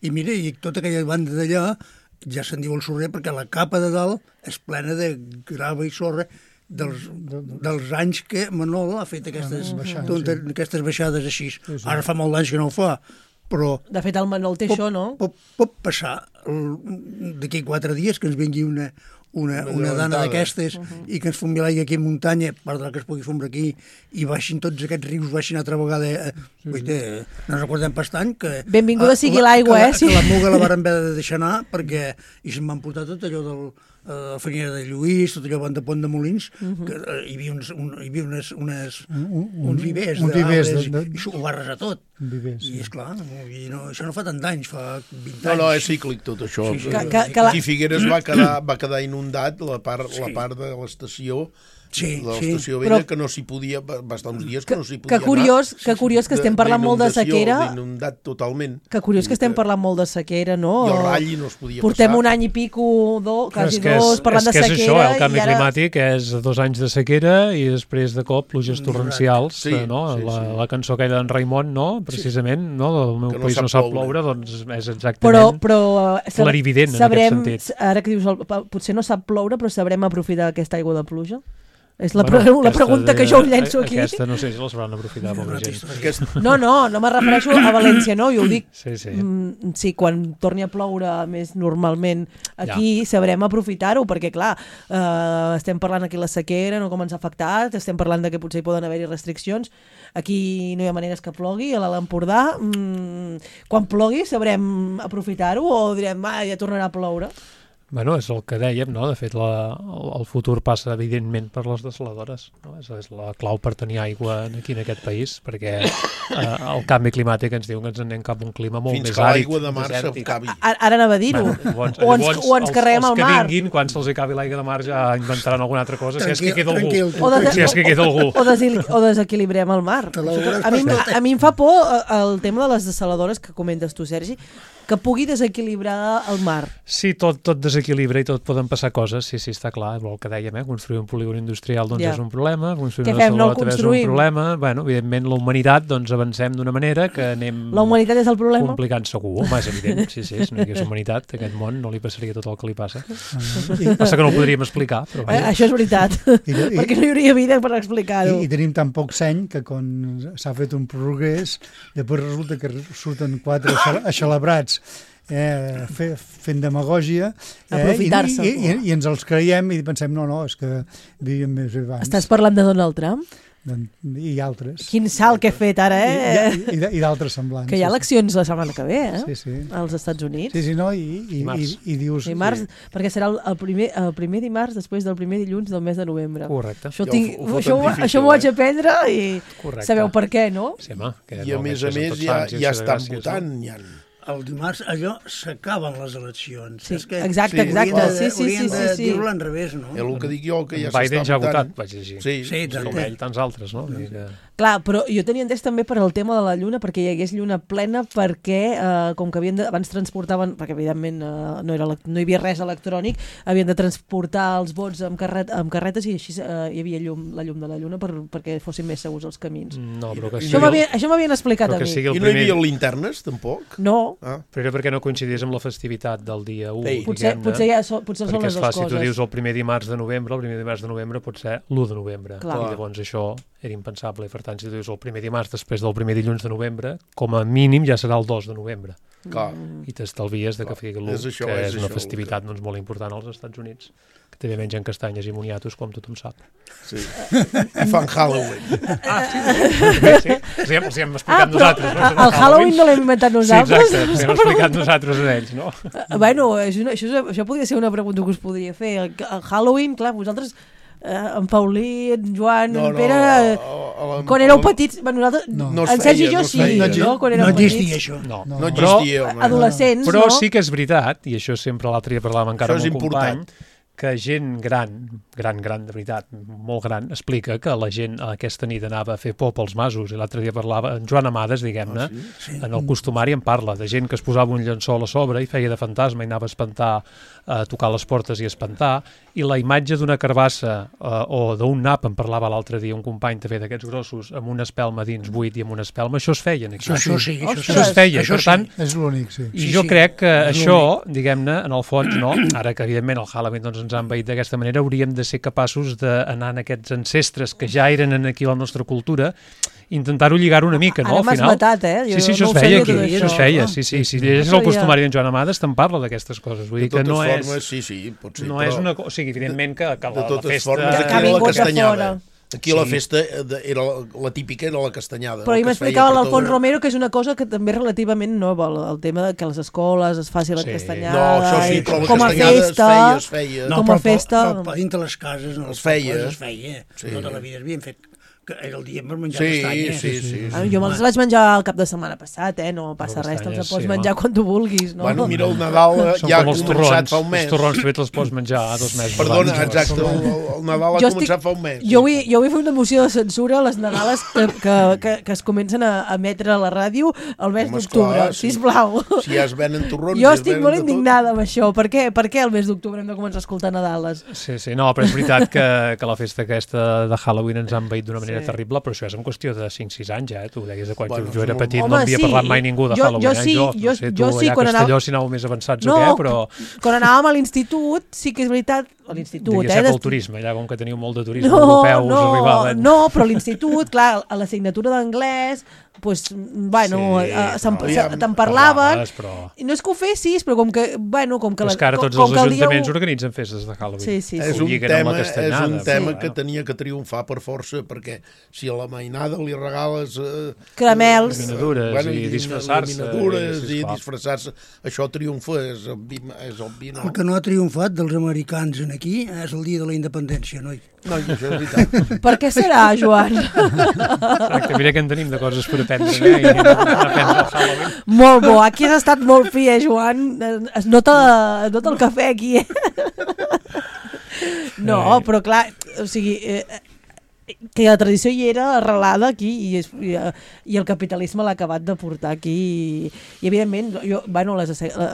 [SPEAKER 6] I mira, i tota aquella banda d'allà ja se'n diu el sorrer perquè la capa de dalt és plena de grava i sorra dels anys que Manol ha fet aquestes baixades així. Ara fa molt d'anys que no ho fa, però...
[SPEAKER 3] De fet, el Manol té això, no?
[SPEAKER 6] Pot passar d'aquí 4 dies que ens vingui una dana d'aquestes i que ens fumbi l'aigua aquí a muntanya, per que es pugui fumbre aquí, i baixin tots aquests rius, baixin altra vegada. No ens recordem pas tant que...
[SPEAKER 3] Benvinguda sigui l'aigua,
[SPEAKER 6] Que la Muga la varen haver de deixar anar perquè hi se'n van portar tot allò del Farinyera de Lluís, tot allò de Pont de Molins, que hi havia uns vivers d'arbres i ho va arrasar tot. I esclar, això no fa tant d'anys, fa 20 anys.
[SPEAKER 5] No, és cíclic tot això. Aquí Figueres va quedar inundat la part de l'estació, l'estació vella, que no s'hi podia, va estar uns dies que no s'hi podia anar.
[SPEAKER 3] Que curiós que estem parlant molt de sequera.
[SPEAKER 5] D'inundat totalment.
[SPEAKER 3] Que curiós que estem parlant molt de sequera, no?
[SPEAKER 5] I el ratll no es podia passar.
[SPEAKER 3] Portem un any i pico, quasi 2, parlant de sequera.
[SPEAKER 4] És això, el canvi climàtic és 2 anys de sequera i després de cop pluges torrencials, no? La cançó aquella d'en Raimon, no? Precisament, no? El meu país no sap ploure, doncs és exactament clarivident en aquest sentit.
[SPEAKER 3] Ara que dius, potser no sap ploure, però sabrem aprofitar aquesta aigua de pluja? És la pregunta que jo llenço aquí.
[SPEAKER 4] Aquesta no sé si la sabran aprofitar molta gent.
[SPEAKER 3] No me refereixo a València, no? Jo ho dic.
[SPEAKER 4] Sí,
[SPEAKER 3] quan torni a ploure més normalment aquí sabrem aprofitar-ho, perquè clar, estem parlant aquí la sequera, no com ens ha afectat, estem parlant de que potser hi poden haver-hi restriccions. Aquí no hi ha maneres que plogui, a l'Empordà. Quan plogui sabrem aprofitar-ho o direm, ja tornarà a ploure?
[SPEAKER 4] Bueno, és el que dèiem, no? De fet, el futur passa, evidentment, per les dessaladores. No? És la clau per tenir aigua aquí en aquest país, perquè el canvi climàtic ens diu que ens anem cap a un clima molt més àrid.
[SPEAKER 5] Fins que l'aigua de mar s'acabi.
[SPEAKER 3] Ara anava a dir-ho. O ens carreguem al mar.
[SPEAKER 4] Els que vinguin, quan se'ls acabi l'aigua de mar, ja inventaran alguna altra cosa, si és que queda algú.
[SPEAKER 3] O desequilibrem el mar. A mi em fa por el tema de les dessaladores que comentes tu, Sergi, que pugui desequilibrar el mar.
[SPEAKER 4] Sí, tot desequilibra i tot poden passar coses, sí, està clar, el que dèiem, construir un polígon industrial doncs és un problema, construir una salva també és un problema, bueno, evidentment la humanitat doncs avancem d'una manera que anem...
[SPEAKER 3] La humanitat és el problema?
[SPEAKER 4] Complicant segur, home, és evident, sí, si no hi hagués humanitat, a aquest món no li passaria tot el que li passa. Passa que no ho podríem explicar, però...
[SPEAKER 3] Això és veritat, perquè no hi hauria vida per explicar-ho.
[SPEAKER 7] I tenim tan poc seny que quan s'ha fet un progrés, després resulta que surten 4 axalabrats fent demagògia i ens els creiem i pensem, no, és que vivíem més abans.
[SPEAKER 3] Estàs parlant de Donald Trump?
[SPEAKER 7] I altres.
[SPEAKER 3] Quin salt que he fet ara,
[SPEAKER 7] I d'altres semblants.
[SPEAKER 3] Que hi ha eleccions la setmana que ve,
[SPEAKER 7] Sí.
[SPEAKER 3] Als Estats Units.
[SPEAKER 7] Sí, no, i dius...
[SPEAKER 3] Dimarts, perquè serà el primer dimarts després del primer dilluns del mes de novembre.
[SPEAKER 4] Correcte.
[SPEAKER 3] Això m'ho vaig aprendre i sabeu per què, no?
[SPEAKER 4] Sí, home.
[SPEAKER 5] I a més ja estan votant, ja...
[SPEAKER 6] El dimarts allò s'acaben les eleccions.
[SPEAKER 3] Sí, exacte.
[SPEAKER 6] Haurien de dir-ho al revés, no?
[SPEAKER 5] És el que dic jo, que ja s'està votant.
[SPEAKER 4] Biden ja ha votat, vaig llegir.
[SPEAKER 5] Sí,
[SPEAKER 4] com ell, tants altres, no?
[SPEAKER 3] Clar, però jo tenia entès també per al tema de la lluna, perquè hi hagués lluna plena, perquè com que abans transportaven, perquè evidentment no hi havia res electrònic, havien de transportar els vots amb carretes i així hi havia la llum de la lluna perquè fossin més segurs els camins.
[SPEAKER 4] No, però que
[SPEAKER 3] això m'havien explicat a mi.
[SPEAKER 5] I no hi havia linternes, tampoc?
[SPEAKER 3] No.
[SPEAKER 4] Però era perquè no coincidís amb la festivitat del dia 1.
[SPEAKER 3] Potser són les dues coses.
[SPEAKER 4] Perquè és clar, si tu dius el primer dimarts de novembre, el primer dimarts de novembre pot ser l'1 de novembre. I llavors això era impensable. Per tant, si tu dius el primer dimarts després del primer dilluns de novembre, com a mínim ja serà el 2 de novembre. I t'estalvies que sigui l'1, que és una festivitat molt important als Estats Units, que també mengen castanyes i moniatos, com tothom sap.
[SPEAKER 5] Sí. I fan Halloween.
[SPEAKER 4] Sí. Els hem explicat nosaltres.
[SPEAKER 3] El Halloween no l'hem inventat nosaltres.
[SPEAKER 4] Sí, exacte, els hem explicat nosaltres a ells, no?
[SPEAKER 3] Bueno, això podria ser una pregunta que us podria fer. El Halloween, clar, vosaltres... en Paulí, en Joan, en Pere, quan éreu petits, nosaltres, en Sergi i jo sí, quan érem petits.
[SPEAKER 6] No existia això.
[SPEAKER 5] No existia.
[SPEAKER 3] Adolescents,
[SPEAKER 4] però sí que és veritat, i això sempre l'altre dia parlàvem encara amb un company, que gent gran, de veritat, molt gran, explica que la gent aquesta nit anava a fer por pels masos, i l'altre dia parlava, en Joan Amades, diguem-ne, en el costumari en parla, de gent que es posava un llençol a sobre i feia de fantasma i anava a espantar, a tocar les portes i espantar, i la imatge d'una carbassa o d'un nap, en parlava l'altre dia un company també d'aquests grossos, amb una espelma dins buit i amb una espelma, això es feia aquí.
[SPEAKER 6] Això sí.
[SPEAKER 4] Això es feia, per tant...
[SPEAKER 7] És l'únic, sí.
[SPEAKER 4] I jo crec que això, diguem-ne, en el fons, no, ara que evidentment el Halloween ens ha envaït d'aquesta manera, hauríem de ser capaços d'anar en aquests ancestres que ja eren aquí a la nostra cultura, intentar-ho lligar una mica, no?
[SPEAKER 3] Ara m'has matat,
[SPEAKER 4] Sí, això es feia aquí, això es feia, sí. Si llegeixes el costumari d'en Joan Amades, te'n parla d'aquestes coses. Vull dir que no és...
[SPEAKER 5] Sí, pot ser.
[SPEAKER 4] No és una cosa... O sigui, evidentment que la festa...
[SPEAKER 5] Aquí la castanyada. Aquí la festa era la típica, era la castanyada.
[SPEAKER 3] Però ahir m'explicava l'Alfons Romero que és una cosa que també és relativament nova, el tema que a les escoles es faci la castanyada.
[SPEAKER 5] No, això sí, però la
[SPEAKER 3] castanyada
[SPEAKER 5] es feia.
[SPEAKER 3] Com a festa.
[SPEAKER 6] Però dintre les cases, no, es feia. Tota la vida havien fet... que era el dia per menjar castanyes.
[SPEAKER 5] Sí.
[SPEAKER 3] Jo me'ls vaig menjar el cap de setmana passat, no passa res, te'ls pots menjar quan tu vulguis, no?
[SPEAKER 5] Bueno, mira, el Nadal ja ha començat fa un mes.
[SPEAKER 4] Els torrons també te'ls pots menjar 2 mesos.
[SPEAKER 5] Perdona, exacte, el Nadal ha començat fa un mes.
[SPEAKER 3] Jo vull fer una moció de censura a les Nadales que es comencen a emetre a la ràdio el mes d'octubre, sisplau.
[SPEAKER 5] Si ja es venen torrons...
[SPEAKER 3] Jo estic molt indignada amb això. Per què el mes d'octubre hem de començar a escoltar Nadales?
[SPEAKER 4] Sí, no, però és veritat que la festa aquesta de Halloween ens ha envaït d'una manera terrible, però això és en qüestió de 5-6 anys, tu ho deies de quan jo era petit, no havia parlat mai ningú de Halloween. Jo sí, allà a Castelló si anàveu més avançats o què, però...
[SPEAKER 3] Quan anàvem a l'institut, sí que és veritat, a l'institut...
[SPEAKER 4] Digues pel turisme, allà com que teniu molt de turisme europeu, us arribaven...
[SPEAKER 3] No, però a l'institut, clar, a l'assignatura d'anglès, doncs, bueno, te'n parlaven... No és que ho fessis, però com que...
[SPEAKER 4] És que ara tots els ajuntaments organitzen festes de Halloween.
[SPEAKER 3] Sí.
[SPEAKER 5] És un tema que tenia que triomfar per força, perquè si a la mainada li regales...
[SPEAKER 3] caramels...
[SPEAKER 4] Laminadures i
[SPEAKER 5] disfressar-se. Això triomfa, és obvi, no?
[SPEAKER 6] El que no ha triomfat dels americans aquí és el dia de la independència, noi.
[SPEAKER 5] No, això és veritat.
[SPEAKER 3] Per què serà, Joan?
[SPEAKER 4] Exacte, mira que en tenim de coses per aprendre, i anem a aprendre el Halloween.
[SPEAKER 3] Molt bo, aquí has estat molt fi, Joan? Es nota el cafè aquí, No, però clar, o sigui... que la tradició hi era arrelada aquí i el capitalisme l'ha acabat de portar aquí i evidentment,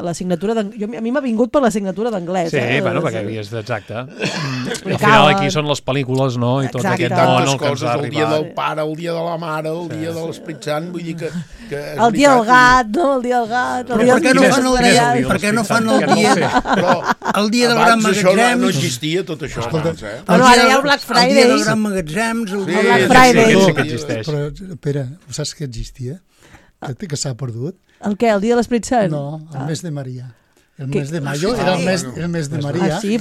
[SPEAKER 3] l'assignatura a mi m'ha vingut per l'assignatura d'anglès.
[SPEAKER 4] Sí, perquè havies d'exacte. Al final aquí són les pel·lícules, no? I tot aquest món al que ens ha arribat.
[SPEAKER 5] El dia del pare, el dia de la mare, el dia de l'Esperit Sant, vull dir que
[SPEAKER 3] el dia del gat, no? El dia del gat.
[SPEAKER 6] Per què no fan el dia del gran magatzem?
[SPEAKER 5] No existia tot això.
[SPEAKER 3] Ara hi ha el Black Friday.
[SPEAKER 6] El dia del gran magatzem, el
[SPEAKER 3] Black Friday.
[SPEAKER 4] Sí que existeix.
[SPEAKER 7] Però, Pere, saps que existia? Que s'ha perdut?
[SPEAKER 3] El què? El dia de l'Esperit Sant?
[SPEAKER 7] No, el mes de Maria. El mes de mayo era el mes de María.
[SPEAKER 3] Sí,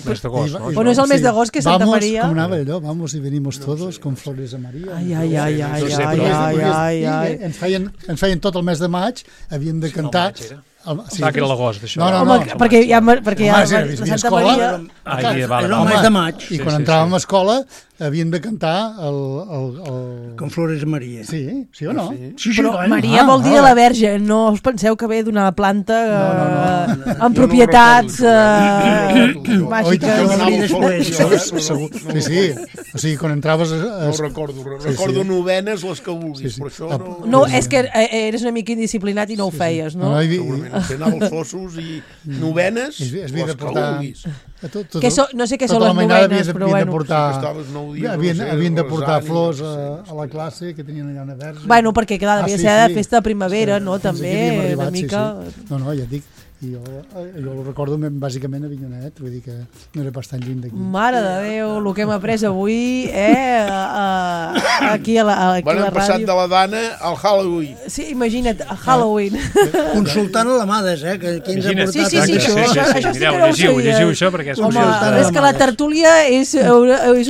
[SPEAKER 3] bueno, es el mes de agosto que Santa María.
[SPEAKER 7] Vamos, como una vamos y venimos todos con flores a María.
[SPEAKER 3] Ai.
[SPEAKER 7] Ens feien tot el mes de maig, havíem de cantar...
[SPEAKER 4] Sí, que era l'agost, això.
[SPEAKER 7] No,
[SPEAKER 3] perquè ja Santa Maria...
[SPEAKER 6] Era el mes de maig.
[SPEAKER 7] I quan entràvem a escola havien de cantar
[SPEAKER 6] Con flores a Maria.
[SPEAKER 7] Sí o no?
[SPEAKER 3] Però Maria vol dir de la Verge, no us penseu que ve d'una planta amb propietats màgiques.
[SPEAKER 7] Sí, o sigui, quan entraves...
[SPEAKER 5] No recordo novenes, les que vulguis, però això no...
[SPEAKER 3] No, és que eres una mica indisciplinat i no ho feies, no?
[SPEAKER 5] Segurament, anava als fossos i novenes, les que vulguis.
[SPEAKER 3] No sé què són les novenes, però bueno.
[SPEAKER 7] Havien de portar flors a la classe, que tenien allà una verge.
[SPEAKER 3] Bueno, perquè clar, devia ser de festa de primavera, no? També, una mica...
[SPEAKER 7] No, ja et dic, jo ho recordo bàsicament a Avinyonet, vull dir que no era pas tan lluny d'aquí.
[SPEAKER 3] Mare de Déu, el que hem après avui, aquí a la ràdio.
[SPEAKER 5] Bueno, hem passat de la Dana al Halloween.
[SPEAKER 3] Sí, imagina't, a Halloween.
[SPEAKER 6] Consultant l'Amades, que ens ha portat...
[SPEAKER 3] Sí,
[SPEAKER 4] llegiu això perquè és
[SPEAKER 3] és que la tertúlia és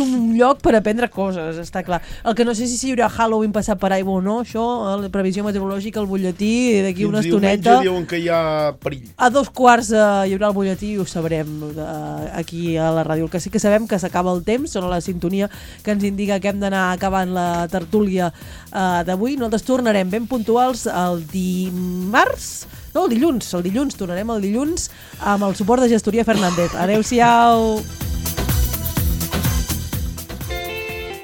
[SPEAKER 3] un lloc per aprendre coses, està clar. El que no sé si hi haurà Halloween passat per aigua o no, això, la previsió meteorològica, el butlletí, d'aquí una estoneta...
[SPEAKER 5] Diumenge diuen que hi ha perill.
[SPEAKER 3] A 2:15 hi haurà el butlletí i ho sabrem aquí a la ràdio. El que sí que sabem que s'acaba el temps, sona la sintonia que ens indica que hem d'anar acabant la tertúlia d'avui. Nosaltres tornarem ben puntuals el dilluns tornarem el dilluns amb el suport de Gestoria Fernández. Adéu-siau!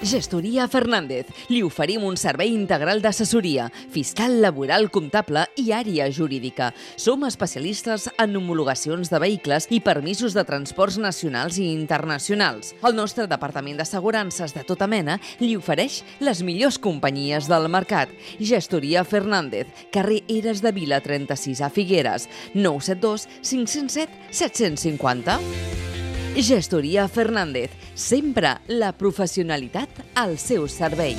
[SPEAKER 2] Gestoria Fernández. Li oferim un servei integral d'assessoria, fiscal, laboral, comptable i àrea jurídica. Som especialistes en homologacions de vehicles i permisos de transports nacionals i internacionals. El nostre departament d'assegurances de tota mena li ofereix les millors companyies del mercat. Gestoria Fernández, carrer Eres de Vila 36 a Figueres, 972 507 750. Gestoria Fernández, sempre la professionalitat al seu servei.